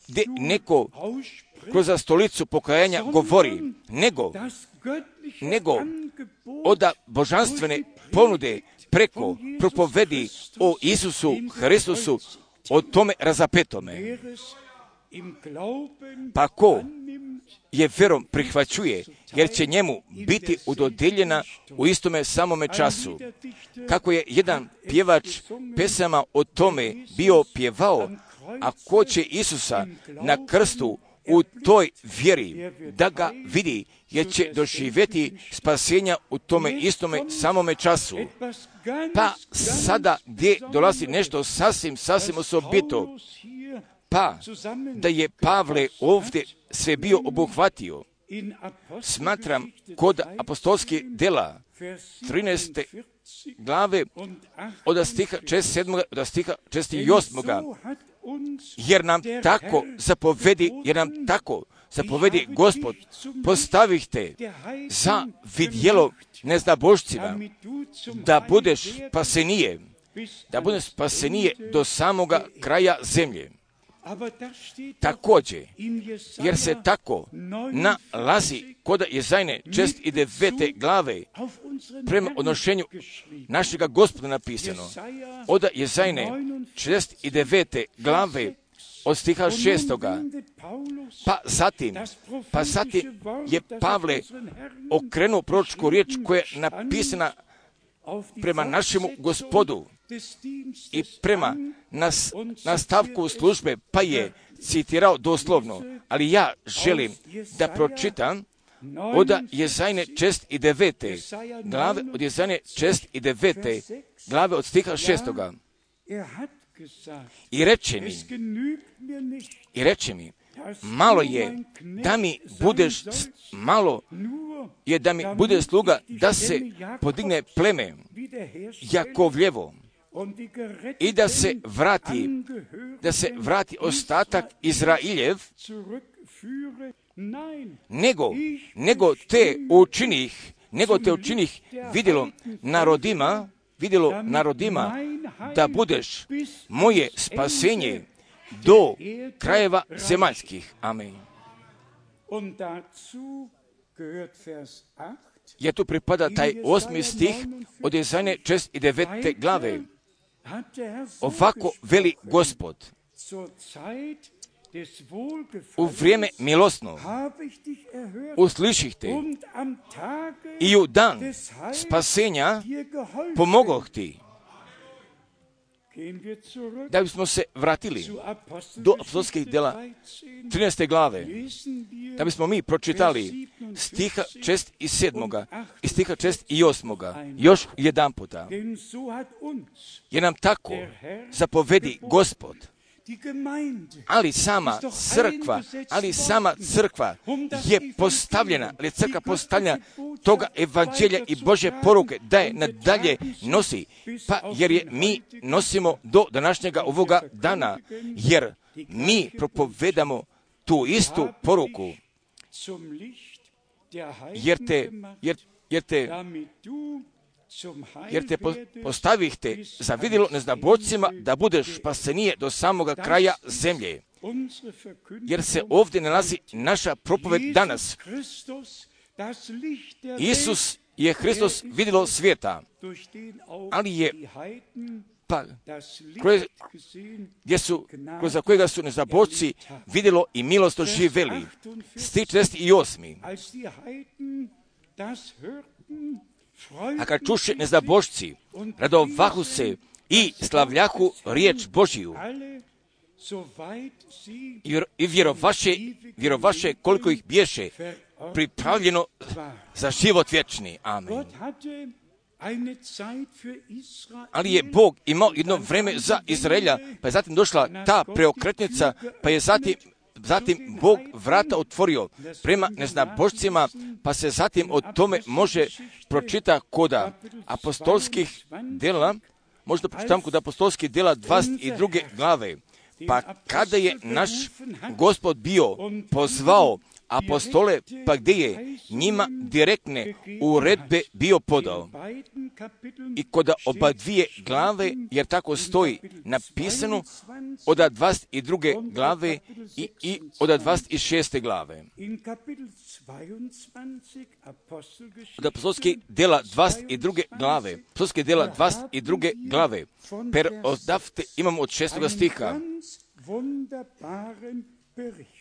Speaker 1: gdje neko kroz stolicu pokajanja govori, nego od božanstvene ponude preko propovedi o Isusu Hristusu, o tome razapetome. Pa ko je vjerom prihvaćuje, jer će njemu biti udodeljena u istome samome času. Kako je jedan pjevač pesama o tome bio pjevao, a ko će Isusa na krstu u toj vjeri da ga vidi, jer će doživjeti spasenja u tome istome samome času. Pa sada gdje dolazi nešto sasvim osobito, pa da je Pavle ovdje sve bio obuhvatio. Smatram kod apostolskih djela 13. glave od stiha 47. do stiha 48. Jer nam tako zapovedi Gospod, postavihte za vidjelo neznabošcima, da budeš spasenije do samoga kraja zemlje. Također, jer se tako nalazi kod Jezajne 69. glave prema odnošenju našega Gospoda napisano. Od Jezajne 69. glave od stiha 6. Pa zatim je Pavle okrenuo proročku riječ koja je napisana prema našemu Gospodu i prema nastavku službe, pa je citirao doslovno, ali ja želim da pročitam od Jezajne 69. glave, od Jezajne 69. glave od stiha 6. I reče mi, malo je da mi bude sluga da se podigne pleme Jakovljevo i da se vrati ostatak Izrailjev, nego te učinih vidjelo narodima da budeš moje spasenje do krajeva zemaljskih. Amen. jer tu pripada taj 8. stih od Jesaje 6. i 9. glave. Ovako veli Gospod: u vrijeme milosno usliših te i u dan spasenja pomogoh ti. Da bismo se vratili do apostolskih dela 13. glave, da bismo mi pročitali stiha 6. i 7. i stiha 6. i 8. još jedan puta. Jer nam tako zapovedi Gospod. Ali sama crkva je postavljena, ali crkva postavljena toga evanđelja i Božje poruke da je nadalje nosi, pa jer je mi nosimo do današnjega ovoga dana, jer mi propovedamo tu istu poruku, jer te postavih te za vidjelo neznabošcima da budeš spasenije do samoga kraja zemlje. Jer se ovdje nalazi naša propoved danas. Isus je Hristos vidjelo svijeta, ali je kroz kojega su neznabošci vidjelo i milost doživjeli. Stih 48. A kad čuše neznabošci, radovahu se i slavljahu riječ Božiju i vjerovaše koliko ih biješe pripravljeno za život vječni. Amen. Ali je Bog imao jedno vreme za Izraelja, pa je zatim došla ta preokretnica, pa je zatim Bog vrata otvorio prema neznabošcima, pa se zatim o tome može pročita kod apostolskih dela, možda pročitam kod apostolskih dela 22. glave. Pa kada je naš Gospod bio pozvao apostole, pa gdje je njima direktne uredbe bio podao. I kod oba dvije glave, jer tako stoji napisano, od 22. glave i od 26. glave. Od apostolskih dela 22. glave, apostolskih dela 22. glave, per odavte imamo od 6. stiha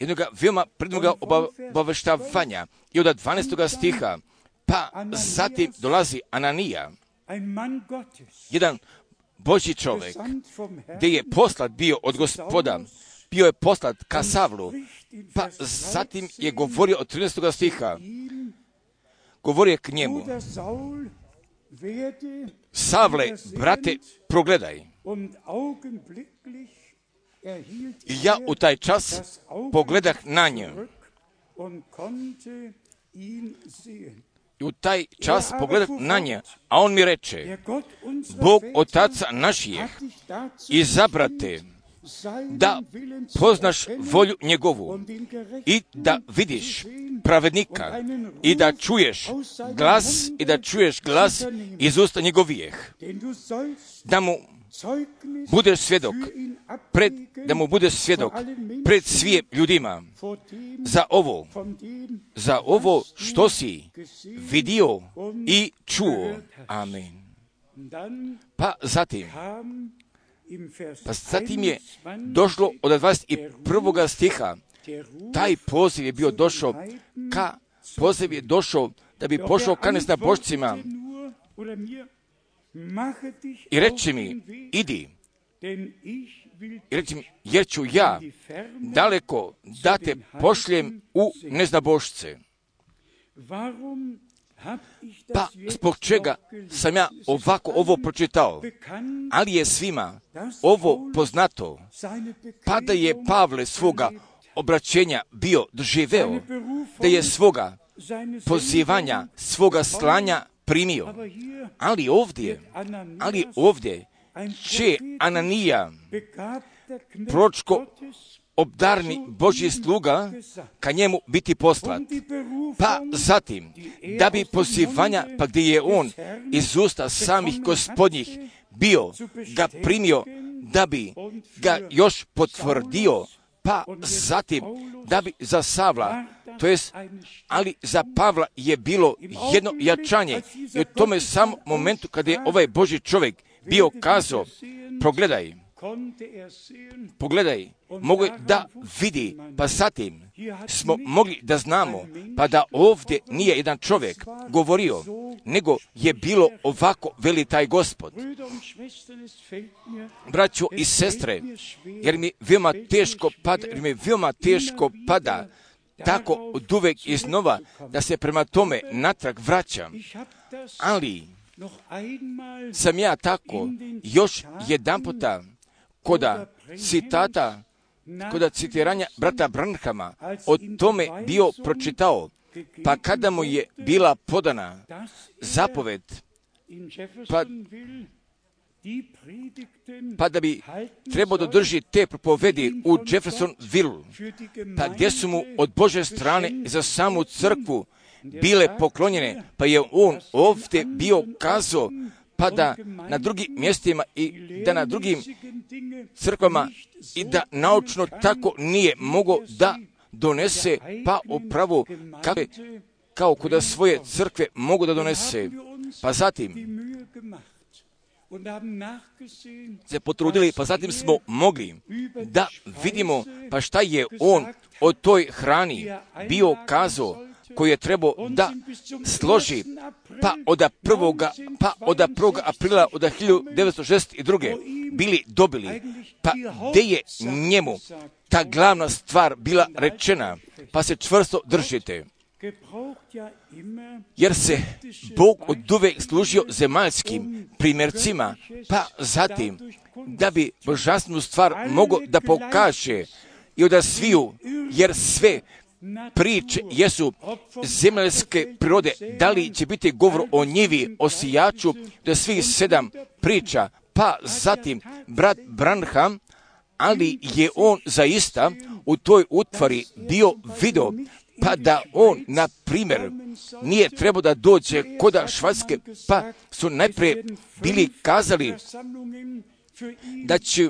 Speaker 1: jednoga veoma prednoga obaveštavanja i od 12. stiha, pa zatim dolazi Ananija, jedan Božji čovjek, gdje je poslat bio od Gospoda, bio je poslat ka Savlu, pa zatim je govorio od 13. stiha, govorio k njemu: Savle, brate, progledaj. I ja u taj čas pogledah na nje. I u taj čas pogledah na nje, a on mi reče: Bog Otaca naših izabrate da poznaš volju njegovu i da vidiš pravednika i da čuješ glas iz usta njegovijeh, da mu budeš svjedok pred svim ljudima za ovo što si vidio i čuo. Amen. Pa zatim je došlo od 21. stiha, taj poziv je bio došao da bi pošao ka neznabošcima i reče mi: idi, jer ću ja daleko da te pošljem u neznabošce. Pa zbog čega sam ja ovo pročitao? Ali je svima ovo poznato, pa da je Pavle svoga obraćenja bio doživeo, da je svoga pozivanja, svoga slanja primio. Ali ovdje će Ananija, proročko obdarni Božji sluga, ka njemu biti poslat. Pa zatim, da bi pozivanja, pa gdje je on iz usta samih gospodnjih bio ga primio, da bi ga još potvrdio, pa zatim, da bi za Savla To jest, ali za Pavla je bilo jedno jačanje. I u tome samom momentu kada je ovaj Božji čovjek bio kazao, pogledaj, mogu da vidi, pa zatim smo mogli da znamo, pa da ovdje nije jedan čovjek govorio, nego je bilo ovako, veli taj Gospod. Braćo i sestre, jer mi veoma teško pada, tako od uvek iznova, da se prema tome natrag vraćam, ali sam ja tako još jedanputa koda citiranja brata Branhama o tome bio pročitao, pa kada mu je bila podana zapoved, pa da bi trebao da drži te propovedi u Jeffersonville, pa gdje su mu od Bože strane za samu crkvu bile poklonjene, pa je on ovdje bio kazao, pa da na drugim mjestima i da na drugim crkvama i da naučno tako nije mogao da donese, pa upravo kao kuda svoje crkve mogu da donese. Pa zatim se potrudili, pa zatim smo mogli da vidimo pa šta je on o toj hrani bio kazao, koji je trebao da složi pa od 1. aprila od 1962. bili dobili, pa gdje je njemu ta glavna stvar bila rečena, pa se čvrsto držite. Jer se Bog oduvek služio zemaljskim primjercima, pa zatim da bi božanstvenu stvar mogao da pokaže i da sviju, jer sve priče jesu zemaljske prirode. Da li će biti govor o njivi, o sijaču, da svih 7 priča, pa zatim brat Branham, ali je on zaista u toj utvari bio video, pa da on, na primjer, nije trebao da dođe koda Švajcarske, pa su najprije bili kazali da će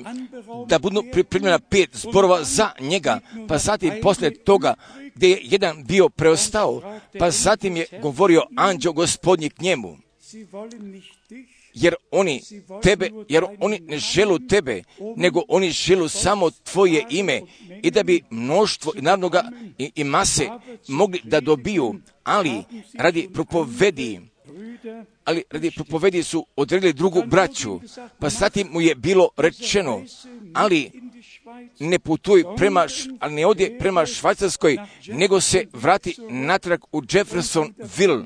Speaker 1: da budu pripremljena 5 zborova za njega, pa zatim poslije toga gdje je jedan bio preostao, pa zatim je govorio anđeo Gospodnji k njemu, jer oni ne želu tebe, nego oni želu samo tvoje ime, i da bi mnoštvo narodnoga i mase mogli da dobiju, ali radi propovedi su odredili drugu braću, pa zatim mu je bilo rečeno, ali ne ode prema Švajcarskoj, nego se vrati natrag u Jeffersonville.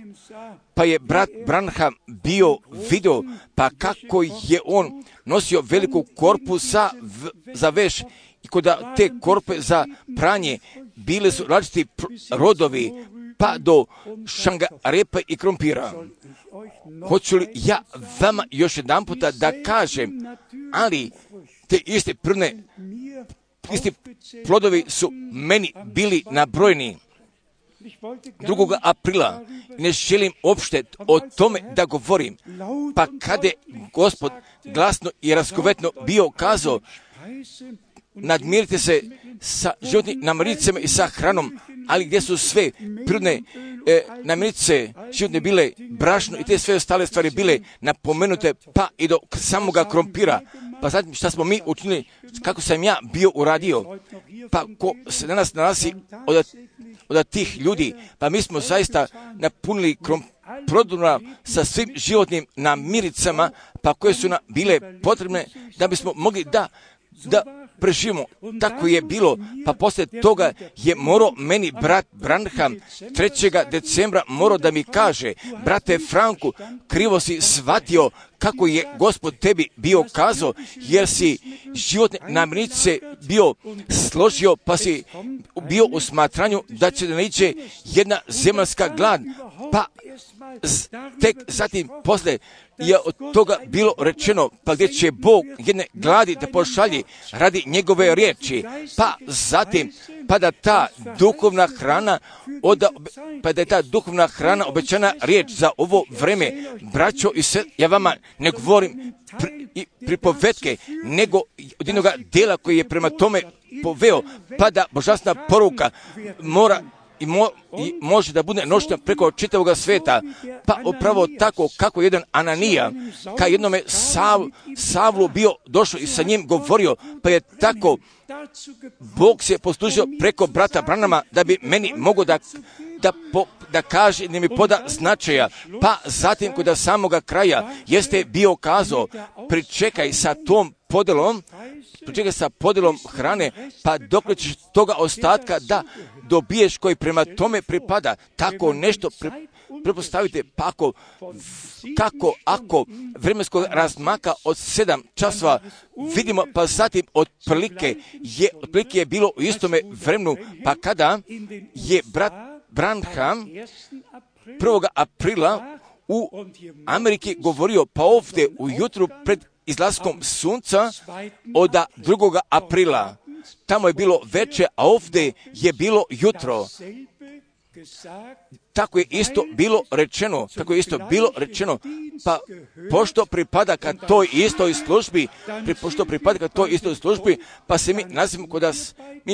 Speaker 1: Pa je brat Branham bio video, pa kako je on nosio veliku korpu za veš, i kod te korpe za pranje bile su različiti rodovi, pa do šangarepa i krompira. Hoću li ja vama još jedan puta da kažem, ali te iste isti plodovi su meni bili nabrojeni 2. aprila. Ne želim uopšte o tome da govorim, pa kada je Gospod glasno i razgovetno bio kazao, nadmirite se sa životnim namirnicama i sa hranom, ali gdje su sve prirodne namirnice životne bile, brašno i te sve ostale stvari bile napomenute, pa i do samoga krompira. Pa zatim šta smo mi učinili, kako sam ja bio uradio, pa ko se danas nalazi od tih ljudi, pa mi smo zaista napunili prodorna sa svim životnim namirnicama, pa koje su nam bile potrebne da bismo mogli da preživimo. Tako je bilo, pa poslije toga je morao meni brat Branham 3. decembra morao da mi kaže, brate Franku, krivo si shvatio kako je Gospod tebi bio kazao, jer si životne namirnice bio složio, pa si bio u smatranju da će da naiđe jedna zemaljska glad, pa tek zatim poslije je od toga bilo rečeno, pa gdje će Bog jedne gladi da pošalji radi njegove riječi, pa zatim pa da je ta duhovna hrana obećana riječ za ovo vreme. Braćo i sve, ja vama ne govorim pripovetke, nego od jednog dela koji je prema tome poveo, pa da božanstvena poruka mora i može da bude nošten preko čitavog sveta. Pa upravo tako kako jedan Ananija, ka jednome Savlu bio došao i sa njim govorio, pa je tako Bog se poslužio preko brata Branhama da bi meni mogao da kaže, da mi poda značaja. Pa zatim kod samoga kraja jeste bio kazao, pričekaj sa podelom hrane, pa dok ćeš toga ostatka da dobiješ koji prema tome pripada. Tako nešto prepostavite, pa ako vremenskog razmaka od 7 časova vidimo, pa zatim otprilike je bilo u istome vremenu, pa kada je brat Branham 1. aprila u Ameriki govorio, pa ovdje ujutru pred izlaskom sunca od 2. aprila. Tamo je bilo veče, a ovdje je bilo jutro. Tako je isto bilo rečeno, pa pošto pripada ka toj istoj službi, pa se mi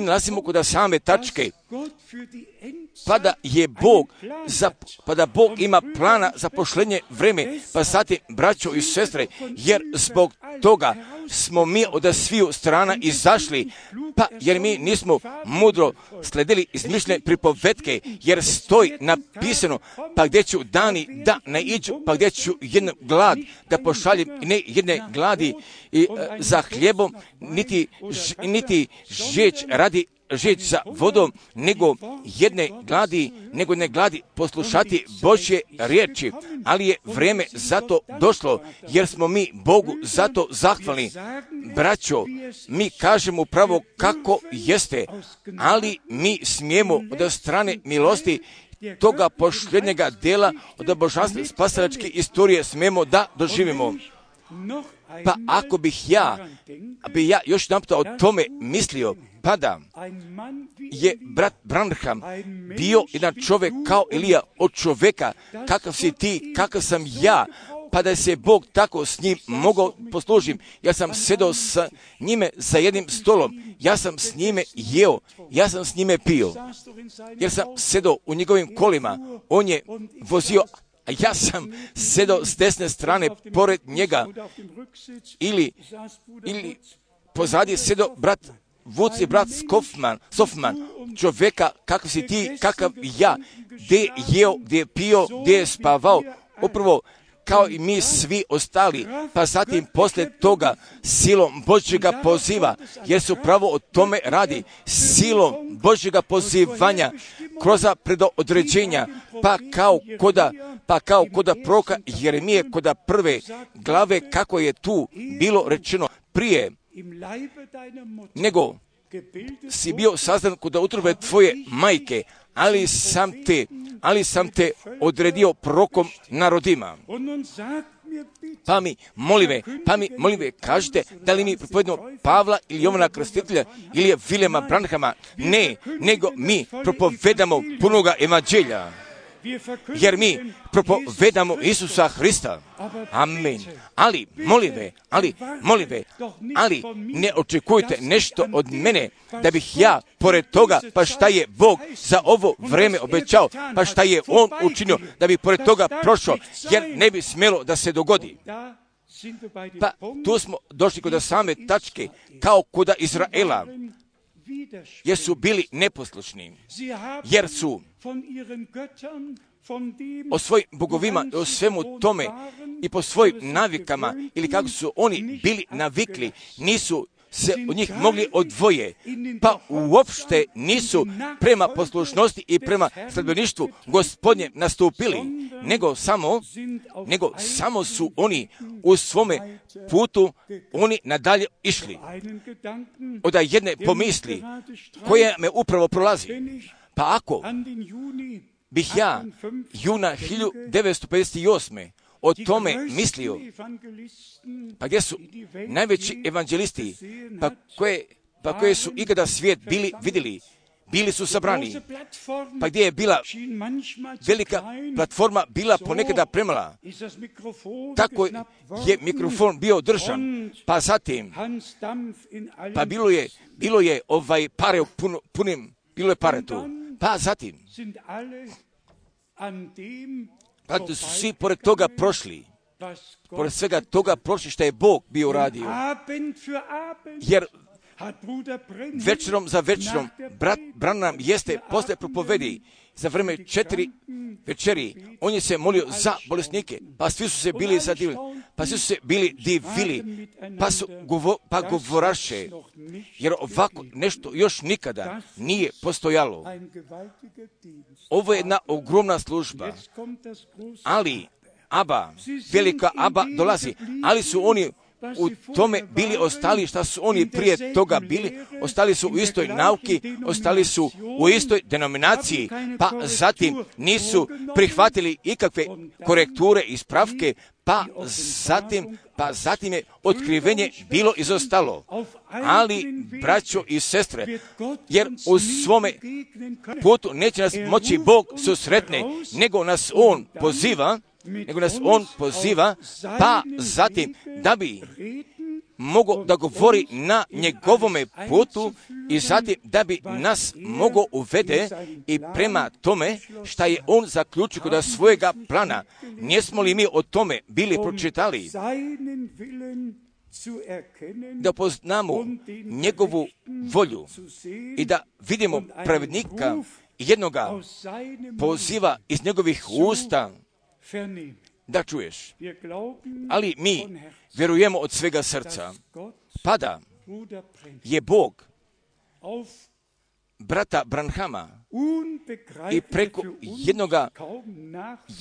Speaker 1: nalazimo kod same tačke. Pa da Bog ima plana za pošlenje vreme, pa zatim, braćo i sestre, jer zbog toga smo mi od sviju strana izašli, pa jer mi nismo mudro sledili izmišljene pripovetke, jer stoji napisano, pa gdje ću dani da naiđu, pa gdje ću jednu glad da pošaljem, ne jedne gladi za hljebom, niti žeć za vodom, nego jedne gladi poslušati Božje riječi. Ali je vrijeme zato došlo, jer smo mi Bogu zato zahvalni. Braćo, mi kažemo upravo kako jeste, ali mi smijemo od strane milosti toga posljednjega dela od božanstva spasilačke istorije smijemo da doživimo. Pa ako bih ja još jedanput o tome mislio, pa da je brat Branham bio jedan čovjek kao Elija od čovjeka, kakav si ti, kakav sam ja, pa da se Bog tako s njim mogao poslužiti. Ja sam sedao sa njime za jednim stolom, ja sam s njime jeo, ja sam s njime pio, jer sam sedao u njegovim kolima, on je vozio, a ja sam sedao s desne strane pored njega, ili pozadi je sedao brat Vuc i brat Sofman, čovjeka kakav si ti, kakav ja, gdje je jeo, gdje je pio, gdje je spavao, upravo kao i mi svi ostali, pa zatim poslije toga silom Božjega poziva, jer se upravo o tome radi, silom Božjega pozivanja, kroz predodređenja, pa kao koda proroka Jeremije, koda prve glave, kako je tu bilo rečeno prije, nego si bio sazdan kod utrobe tvoje majke, ali sam te odredio prorokom narodima. Pa mi molive, kažete, da li mi propovedamo Pavla ili Jovana Krstitelja ili je Viljama Branhama? Ne, nego mi propovedamo punoga evanđelja, jer mi propovedamo Isusa Hrista. Amen. Ali ne očekujte nešto od mene, da bih ja, pored toga, pa šta je Bog za ovo vreme obećao, pa šta je On učinio, da bi pored toga prošao, jer ne bi smjelo da se dogodi. Pa tu smo došli kod same tačke, kao kod Izraela, jer su bili neposlušni, jer su o svojim bogovima, o svemu tome i po svojim navikama, ili kako su oni bili navikli, nisu se od njih mogli odvoje, pa uopšte nisu prema poslušnosti i prema sledbeništvu Gospodnjem nastupili, nego samo su oni u svome putu oni nadalje išli. Od jedne pomisli koja me upravo prolazi, pa ako bih ja juna 1958. o tome mislio, pa gdje su najveći evanđelisti, pa koje su ikada svijet bili su sabrani, pa gdje je bila velika platforma, bila ponekada premala, tako je mikrofon bio držan, pa zatim, pa bilo je pare punim, bilo je pare tu. Pa zatim, pa su svi pored toga prošli, pored svega toga prošli što je Bog bio uradio. Jer večerom za večerom, brat Branham jeste posle propovedi za vreme 4 večeri, on je se molio za bolesnike, pa svi su se bili zadivili, pa svi su se bili divili, pa govoraše, jer ovako nešto još nikada nije postojalo. Ovo je jedna ogromna služba, ali velika Aba dolazi, ali su oni u tome bili ostali, šta su oni prije toga bili, ostali su u istoj nauki, ostali su u istoj denominaciji, pa zatim nisu prihvatili ikakve korekture i ispravke, pa zatim je otkrivenje bilo izostalo. Ali, braćo i sestre, jer u svome putu neće nas moći Bog susretne, nego nas On poziva, pa zatim da bi mogao da govori na njegovome putu i zatim da bi nas mogao uvede i prema tome šta je on zaključio kod svojega plana. Nismo li mi o tome bili pročitali? Da poznamo njegovu volju i da vidimo pravednika jednoga poziva iz njegovih usta da čuješ. Ali mi vjerujemo od svega srca, pa da je Bog brata Branhama i preko jednoga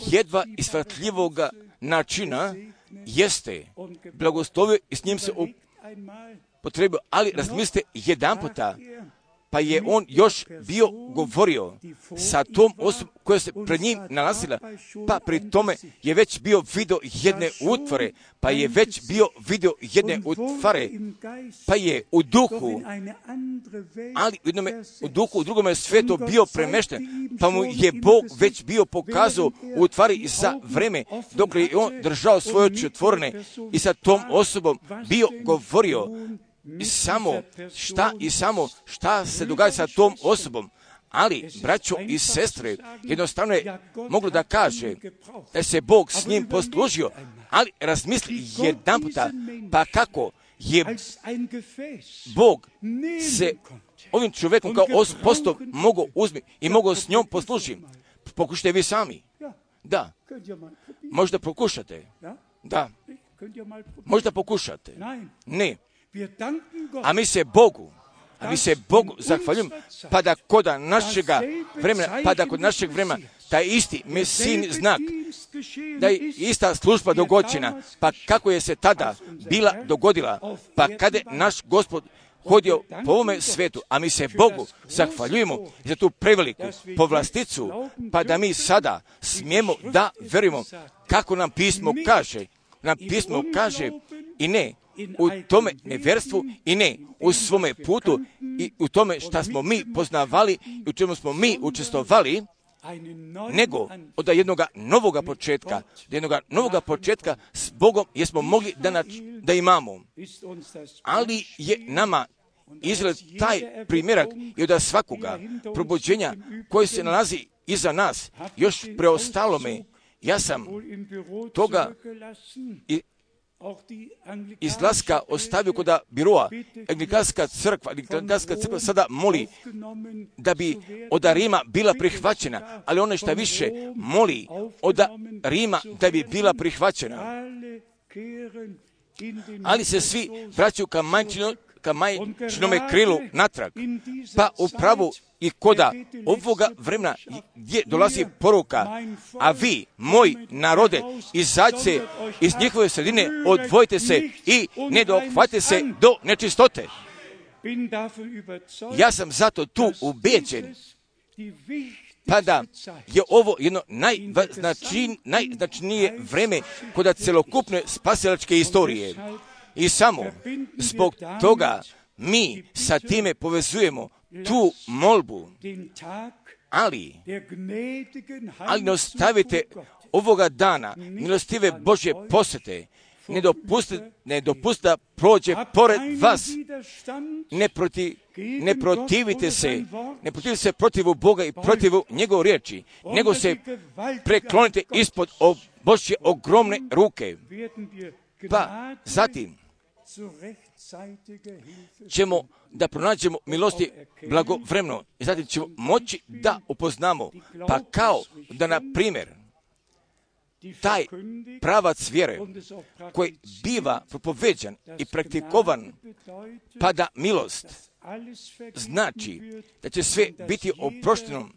Speaker 1: jedva ishvatljivoga načina jeste blagoslovio i s njim se upotrebio, ali razmislite jedanputa, pa je on još bio govorio sa tom osobom koja se pred njim nalazila, pa pri tome je već bio vidio jedne utvore, pa je u duhu, ali u duhu u drugome svijetu bio premešten, pa mu je Bog već bio pokazao u stvari za vreme dok je on držao svoje oči otvorene i sa tom osobom bio govorio samo šta se događa sa tom osobom. Ali, braćo i sestre, jednostavno je moglo da kaže da se Bog s njim poslužio, ali razmisli jedanputa, pa kako je Bog se ovim čovjekom kao postov mogao uzeti i mogao s njom poslužiti. Pokušajte vi sami. Da. Možda pokušate. Da. Možda pokušate. Ne. A mi se Bogu zahvaljujemo, pa da kod našeg vremena, taj isti Mesijin znak, da je ista služba dogođena, pa kako je se tada bila dogodila, pa kada je naš Gospod hodio po ovome svetu, a mi se Bogu zahvaljujemo za tu preveliku povlasticu, pa da mi sada smijemo da verujemo kako nam pismo kaže, i ne u tome neverstvu i ne u svome putu i u tome šta smo mi poznavali i u čemu smo mi učestvovali, nego od jednoga novoga početka s Bogom jesmo mogli da imamo. Ali je nama izgled taj primjerak i od svakoga probuđenja koji se nalazi iza nas, još preostalo me. Ja sam toga izlaska ostavio kod biroa. Anglikanska crkva sada moli da bi od Rima bila prihvaćena, ali ono što više moli od Rima da bi bila prihvaćena. Ali se svi vraćaju ka majčinome krilu natrag, pa upravo i koda ovoga vremena gdje dolazi poruka, a vi, moj narode, izađite iz njihove sredine, odvojite se i ne dohvatite se do nečistote. Ja sam zato tu ubeđen, pa da je ovo jedno najznačajnije vreme kod celokupne spasilačke istorije. I samo zbog toga mi sa time povezujemo tu molbu, ali ne ostavite ovoga dana milostive Božje posjete, ne dopusti da prođe pored vas. Ne protivite se protivu Boga i protivu njegove riječi, nego se preklonite ispod Božje ogromne ruke. Pa zatim ćemo da pronađemo milosti blagovremeno i zatim ćemo moći da upoznamo, pa kao da na primjer taj pravac vjere koji biva propoveđan i praktikovan, pa da milost znači da će sve biti oprošteno,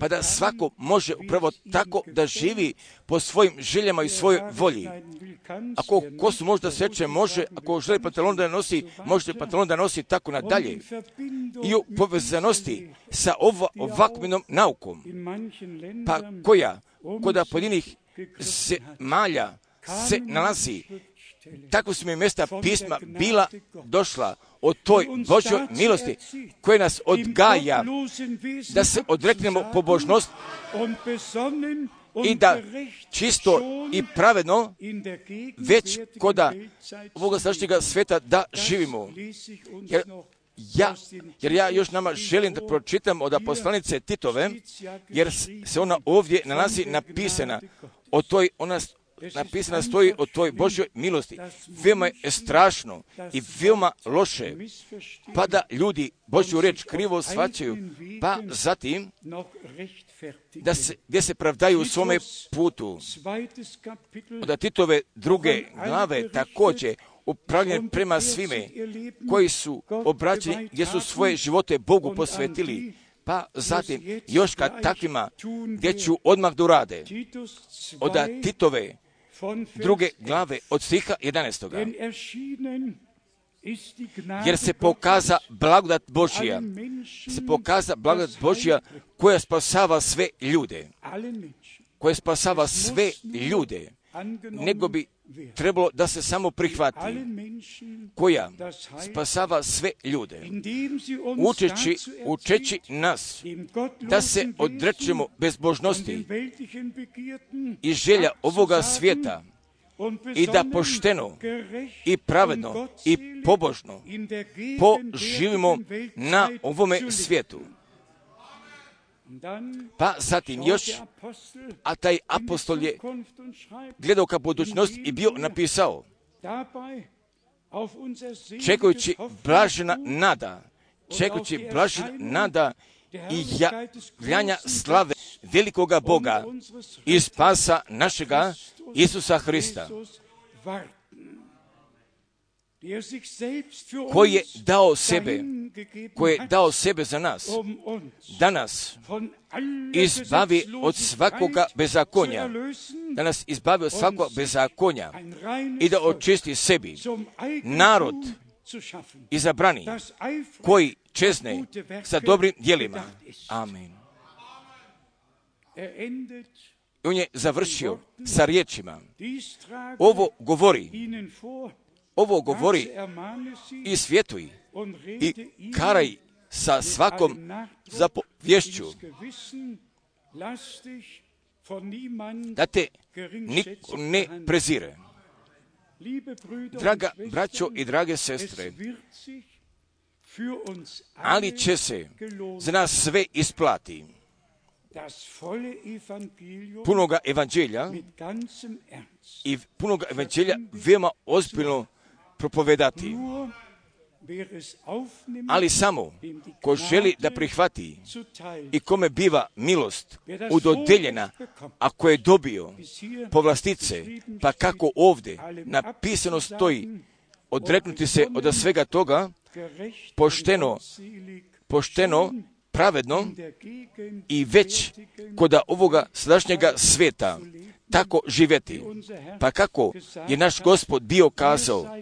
Speaker 1: pa da svako može upravo tako da živi po svojim željama i svojoj volji. Ako kosu možda seče, može, ako želi pantalon da nosi, može pantalon da nosi tako nadalje. I u povezanosti sa ovakvom naukom, pa koja kod pojedinih zemalja se nalazi, tako su mi mjesta pisma bila došla od toj Božjoj milosti koja nas odgaja da se odreknemo pobožnost i da čisto i pravedno već koda ovoga sadašnjega sveta da živimo. Jer ja još nama želim da pročitam od poslanice Titove, jer se ona ovdje nalazi napisana napisana stoji o toj Božjoj milosti. Veoma je strašno i veoma loše, pa da ljudi Božju riječ krivo shvaćaju, pa zatim gdje se pravdaju u svome putu. Od Titove 2. glave također upravljanje prema svime koji su obraćeni, gdje su svoje živote Bogu posvetili, pa zatim još kad takvima gdje ću odmah da urade. Od Titove 2. glave od stiha 11. Jer se pokaza blagodat Božja, koja spasava sve ljude, nego bi trebalo da se samo prihvati, koja spasava sve ljude, učeći nas da se odrečemo bezbožnosti i želja ovoga svijeta i da pošteno i pravedno i pobožno poživimo na ovome svijetu. Pa zatim još, a taj apostol je gledao ka budućnosti i bio napisao, čekajući blažena nada i javljanja slave velikoga Boga i spasa našega Isusa Hrista, koji je dao sebe za nas, da nas izbavi od svakoga bezakonja, i da očisti sebi narod izabrani, koji čezne sa dobrim djelima. Amen. On je završio sa riječima, ovo govori i svjetuj i karaj sa svakom zapovješću, da te niko ne prezire. Draga braćo i drage sestre, ali će se za nas sve isplati. Punoga evanđelja i punoga evanđelja veoma ozbiljno propovedati. Ali samo ko želi da prihvati i kome biva milost udodeljena, ako je dobio povlastice, pa kako ovdje napisano stoji, odreknuti se od svega toga, pošteno, pravedno i već kod ovoga sadašnjega sveta tako živjeti. Pa kako je naš Gospod bio kazao,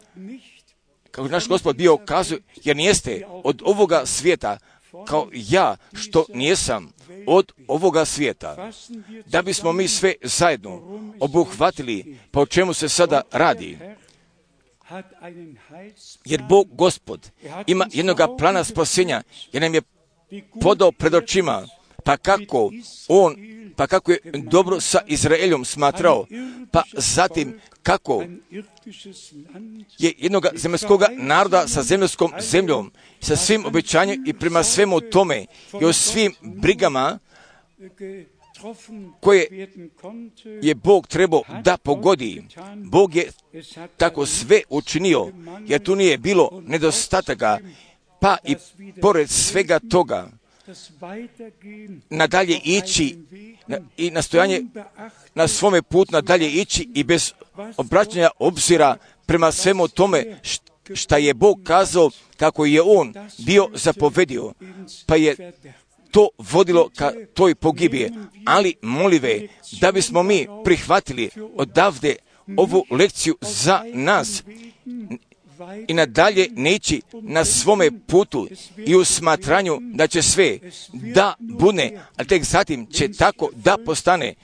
Speaker 1: jer nijeste od ovoga svijeta, kao ja što nijesam od ovoga svijeta, da bismo mi sve zajedno obuhvatili pa o čemu se sada radi. Jer Bog Gospod ima jednoga plana spasenja, jer nam je podao pred očima, pa kako On pa kako je dobro sa Izraeljom smatrao, pa zatim kako je jednog zemaljskog naroda sa zemaljskom zemljom, sa svim obećanjem i prema svemu tome i o svim brigama koje je Bog trebao da pogodi. Bog je tako sve učinio, jer tu nije bilo nedostataka, pa i pored svega toga nadalje ići i nastojanje na svome putu nadalje ići i bez obraćanja obzira prema svemu tome šta je Bog kazao kako je On bio zapovedio, pa je to vodilo ka toj pogibije. Ali molive da bismo mi prihvatili odavde ovu lekciju za nas i nadalje neći na svome putu i u smatranju da će sve da bude, a tek zatim će tako da postane.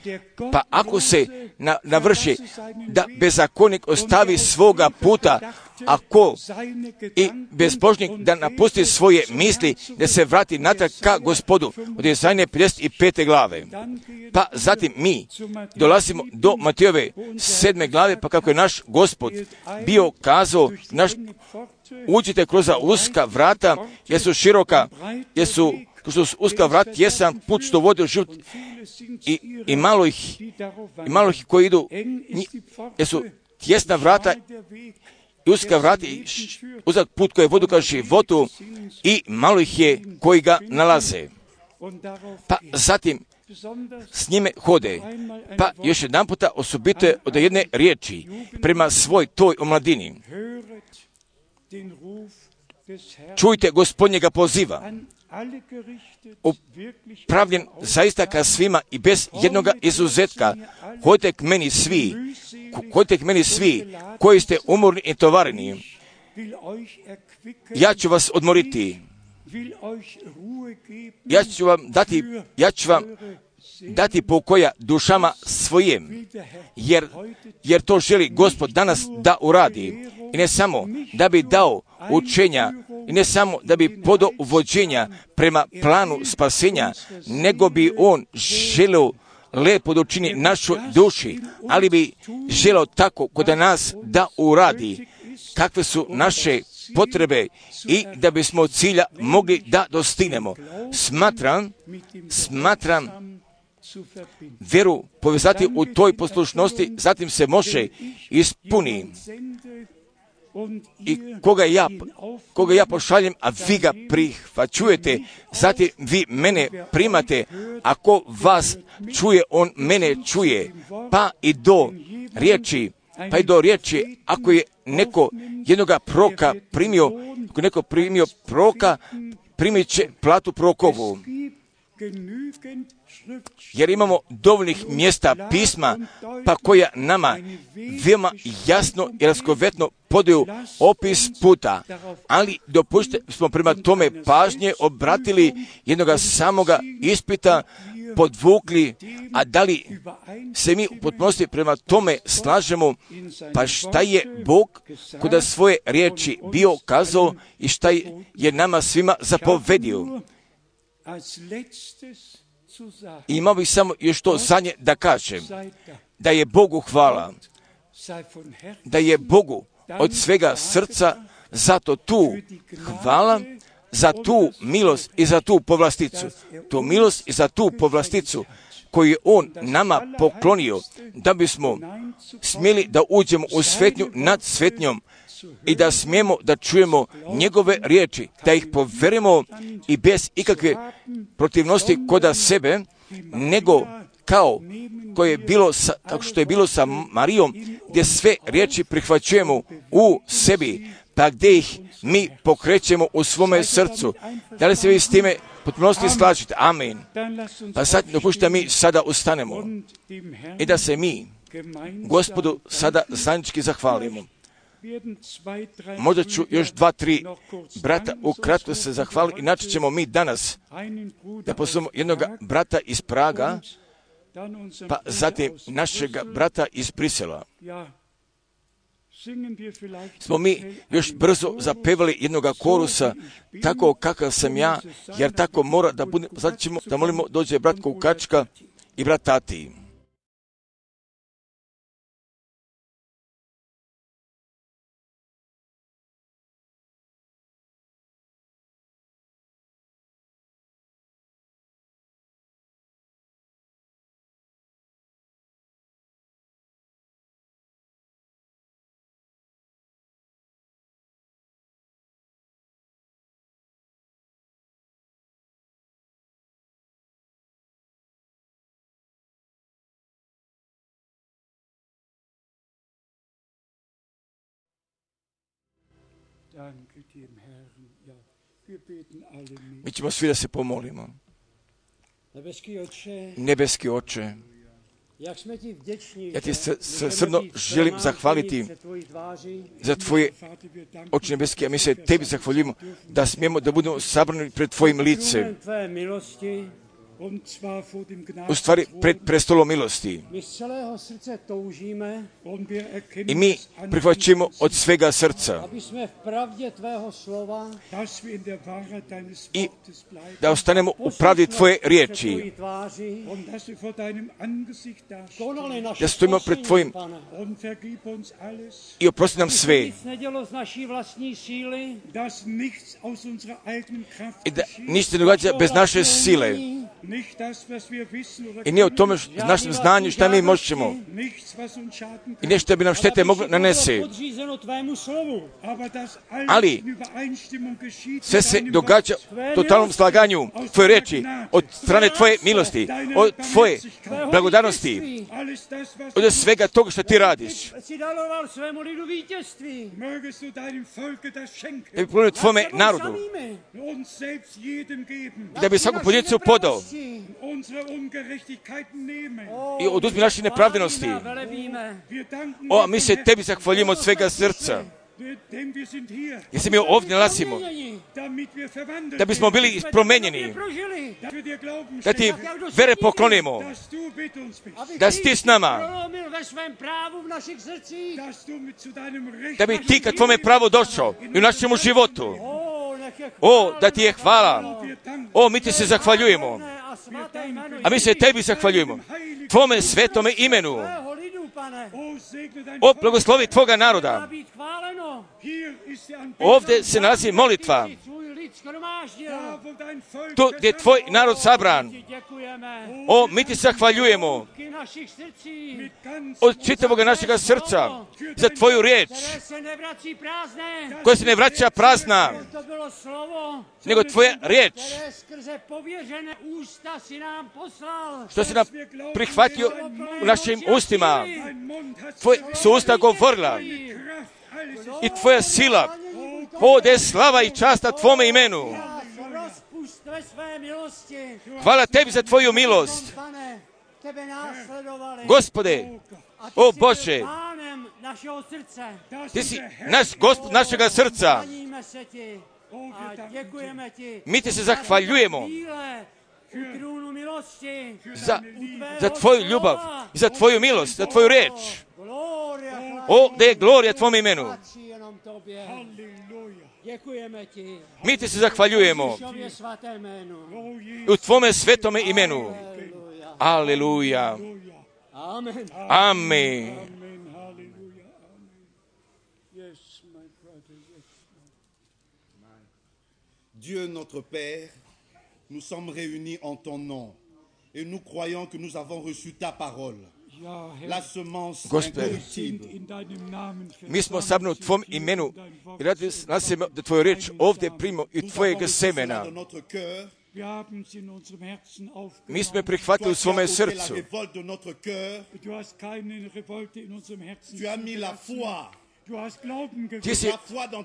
Speaker 1: Pa ako se navrši da bezakonnik ostavi svoga puta, ako i bezbožnik da napusti svoje misli, da se vrati natrag ka Gospodu, od Jesaje 55. glave. Pa zatim mi dolazimo do Matejove 7. glave, pa kako je naš Gospod bio kazao, uđite kroz uska vrata, jer su široka, jer su uska vrata, jesan put što vodi u život i malo ih koji idu, jer su tjesna vrata i uska vrata i uzak put koji vodi ka životu i malo ih je koji ga nalaze. Pa zatim s njime hode. Pa još jedan puta osobito od jedne riječi prema svoj toj omladini. Čujte Gospodnjega poziva, upravljen zaista ka svima i bez jednoga izuzetka. Hodite k meni svi koji ste umorni i tovareni. Ja ću vas odmoriti. Ja ću vam dati pokoja dušama svojim, jer to želi Gospod danas da uradi. I ne samo da bi dao učenja, i ne samo da bi podao uvođenja prema planu spasenja, nego bi On želeo lepo da učini našoj duši, ali bi želeo tako kod nas da uradi kakve su naše potrebe i da bismo cilja mogli da dostignemo. Smatram vjeru povezati u toj poslušnosti, zatim se može ispuni. I koga ja pošaljem, a vi ga prihvaćujete, zatim vi mene primate, ako vas čuje, on mene čuje, pa i do riječi, ako je neko jednoga proroka primio, ako neko primio proroka, primit će platu prorokovu. Jer imamo dovoljnih mjesta pisma, pa koja nama veoma jasno i raskovetno podaju opis puta. Ali dopustite smo prema tome pažnje obratili jednoga samoga ispita, podvukli, a da li se mi u potpunosti prema tome slažemo, pa šta je Bog kod svoje riječi bio kazao i šta je nama svima zapovedio. I imao bih samo još to zadnje da kažem, da je Bogu hvala, da je Bogu od svega srca zato tu hvala, za tu milost i za tu povlasticu. Tu milost i za tu povlasticu koju je On nama poklonio, da bismo smjeli da uđemo u svetnju nad svetnjom i da smijemo da čujemo njegove riječi, da ih poverimo i bez ikakve protivnosti koda sebe, nego kao što je bilo sa Marijom, gdje sve riječi prihvaćujemo u sebi, pa gdje ih mi pokrećemo u svome srcu. Da li se vi s time potpunosti slažete? Amen. Pa sad dopušta mi sada ustanemo i da se mi Gospodu sada zajednički zahvalimo. Možda ću još 2-3 brata ukratko se zahvaliti, inače ćemo mi danas da poslušamo jednog brata iz Praga, pa zatim našega brata iz Brisela. Smo mi još brzo zapevali jednog korusa, tako kakav sam ja, jer tako mora da bude. Sad ćemo da molimo, dođe brat Kukačka i brat Tati. Mi ćemo svi da se pomolimo. Nebeski Oče, ja ti srdno želim zahvaliti za tvoje oči nebeske, a mi se tebi zahvaljujemo da smijemo da budemo sabrani pred tvojim licem. U stvari pred prestolom milosti. I mi prihvaćamo od svega srca i da ostanemo u pravdi tvoje riječi, da stojimo pred tvojim i oprosti nam sve i da ništa ne događa bez naše sile. I nije o tome našem znanju šta mi možemo i nešto bi nam štete moglo nanese. Ali sve se događa u totalnom slaganju tvoje reči, od strane tvoje milosti, od tvoje blagodarnosti, od svega toga što ti radiš. Da bi ponio tvome narodu, da bi svaku pojedincu podao i oduzmi naše nepravdenosti. O, mi se tebi zahvaljujemo od svega srca. Jer se mi ovdje nalazimo, da bismo bili promenjeni, da ti vere poklonimo, da si ti s nama, da bi ti kad tvome pravo došao i u našemu životu. O, da ti je hvala. O, mi ti se zahvaljujemo. A mi se tebi zahvaljujemo. Tvome svetome imenu. O, blagoslovi tvoga naroda. Ovdje se nalazi molitva. Tu gdje je tvoj narod sabran. O, mi ti zahvaljujemo od čitavog našega srca za tvoju riječ koja se ne vraća prazna, nego tvoja riječ što si nam prihvatio u našim ustima. Tvoje su usta govorila i tvoja sila. O, da je slava i časta tvome imenu. Hvala tebi za tvoju milost. Gospode, o Bože, ti si naš Gospod našega srca. Mi ti se zahvaljujemo za tvoju ljubav, za tvoju milost, za tvoju reč. O, da je glorija tvome imenu. Mi ti se zahvaljujemo u tvome svetome imenu. Aleluja. Amen.
Speaker 3: Dieu notre Père, nous sommes réunis en ton nom et nous croyons que nous avons reçu ta parole. La semence incorruptible.
Speaker 1: Mi smo sabrani u tvom imenu i radi nas da tvoju riječ ovdje primimo i tvojeg semena. Mi smo je prihvatili u svome srcu. Ti si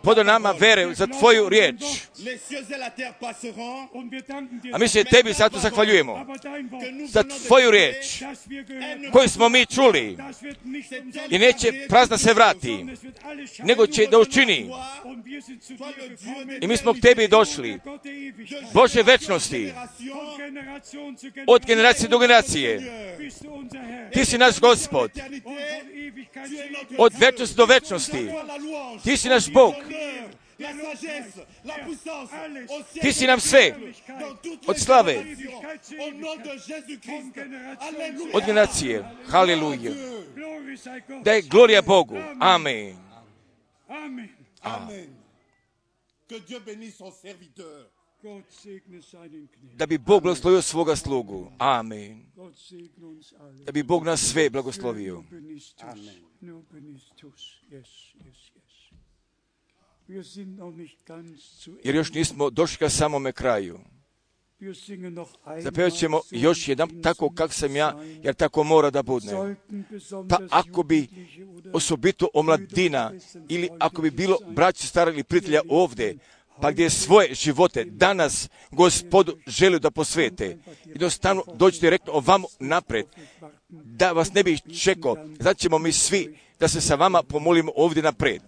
Speaker 1: podao nama vere za tvoju riječ. A mi se tebi zato zahvaljujemo za tvoju riječ koju smo mi čuli i neće prazna se vrati, nego će da učini. I mi smo k tebi došli, Bože večnosti, od generacije do generacije. Ti si naš Gospod, od večnosti do večnosti. Ti si naš Bog. Ti si nam sve, od slave,
Speaker 3: Au nom de Jésus-Christ. Alléluia.
Speaker 1: Od generacije. Haleluja. Da je glorija Bogu. Amen.
Speaker 2: Amen.
Speaker 3: Amen. Que Dieu bénisse son serviteur.
Speaker 2: Gott segne seinen Knecht.
Speaker 1: Da bi Bog blagoslovio svoga slugu. Amen.
Speaker 2: Gott segne uns alle.
Speaker 1: Da bi Bog nas sve blagoslovio.
Speaker 3: Amen.
Speaker 2: Nur benistus. Yes, yes, yes. Wir sind noch nicht ganz zu
Speaker 1: Jer još nismo došli ka samome kraju.
Speaker 2: Wir singen noch einmal.
Speaker 1: Zapevat ćemo još jedan tako kak sam ja, jer tako mora da bude.
Speaker 2: Sollten
Speaker 1: Pa
Speaker 2: besonders
Speaker 1: ako bi
Speaker 2: Jugendliche oder
Speaker 1: osobito omladina ili ako bi bilo braći, stara ili prijatelja ovdje, pa gdje svoje živote danas Gospodu želi da posvete, jednostavno dođite direktno ovamo napred, da vas ne bih čekao, zato ćemo mi svi da se sa vama pomolimo ovdje napred.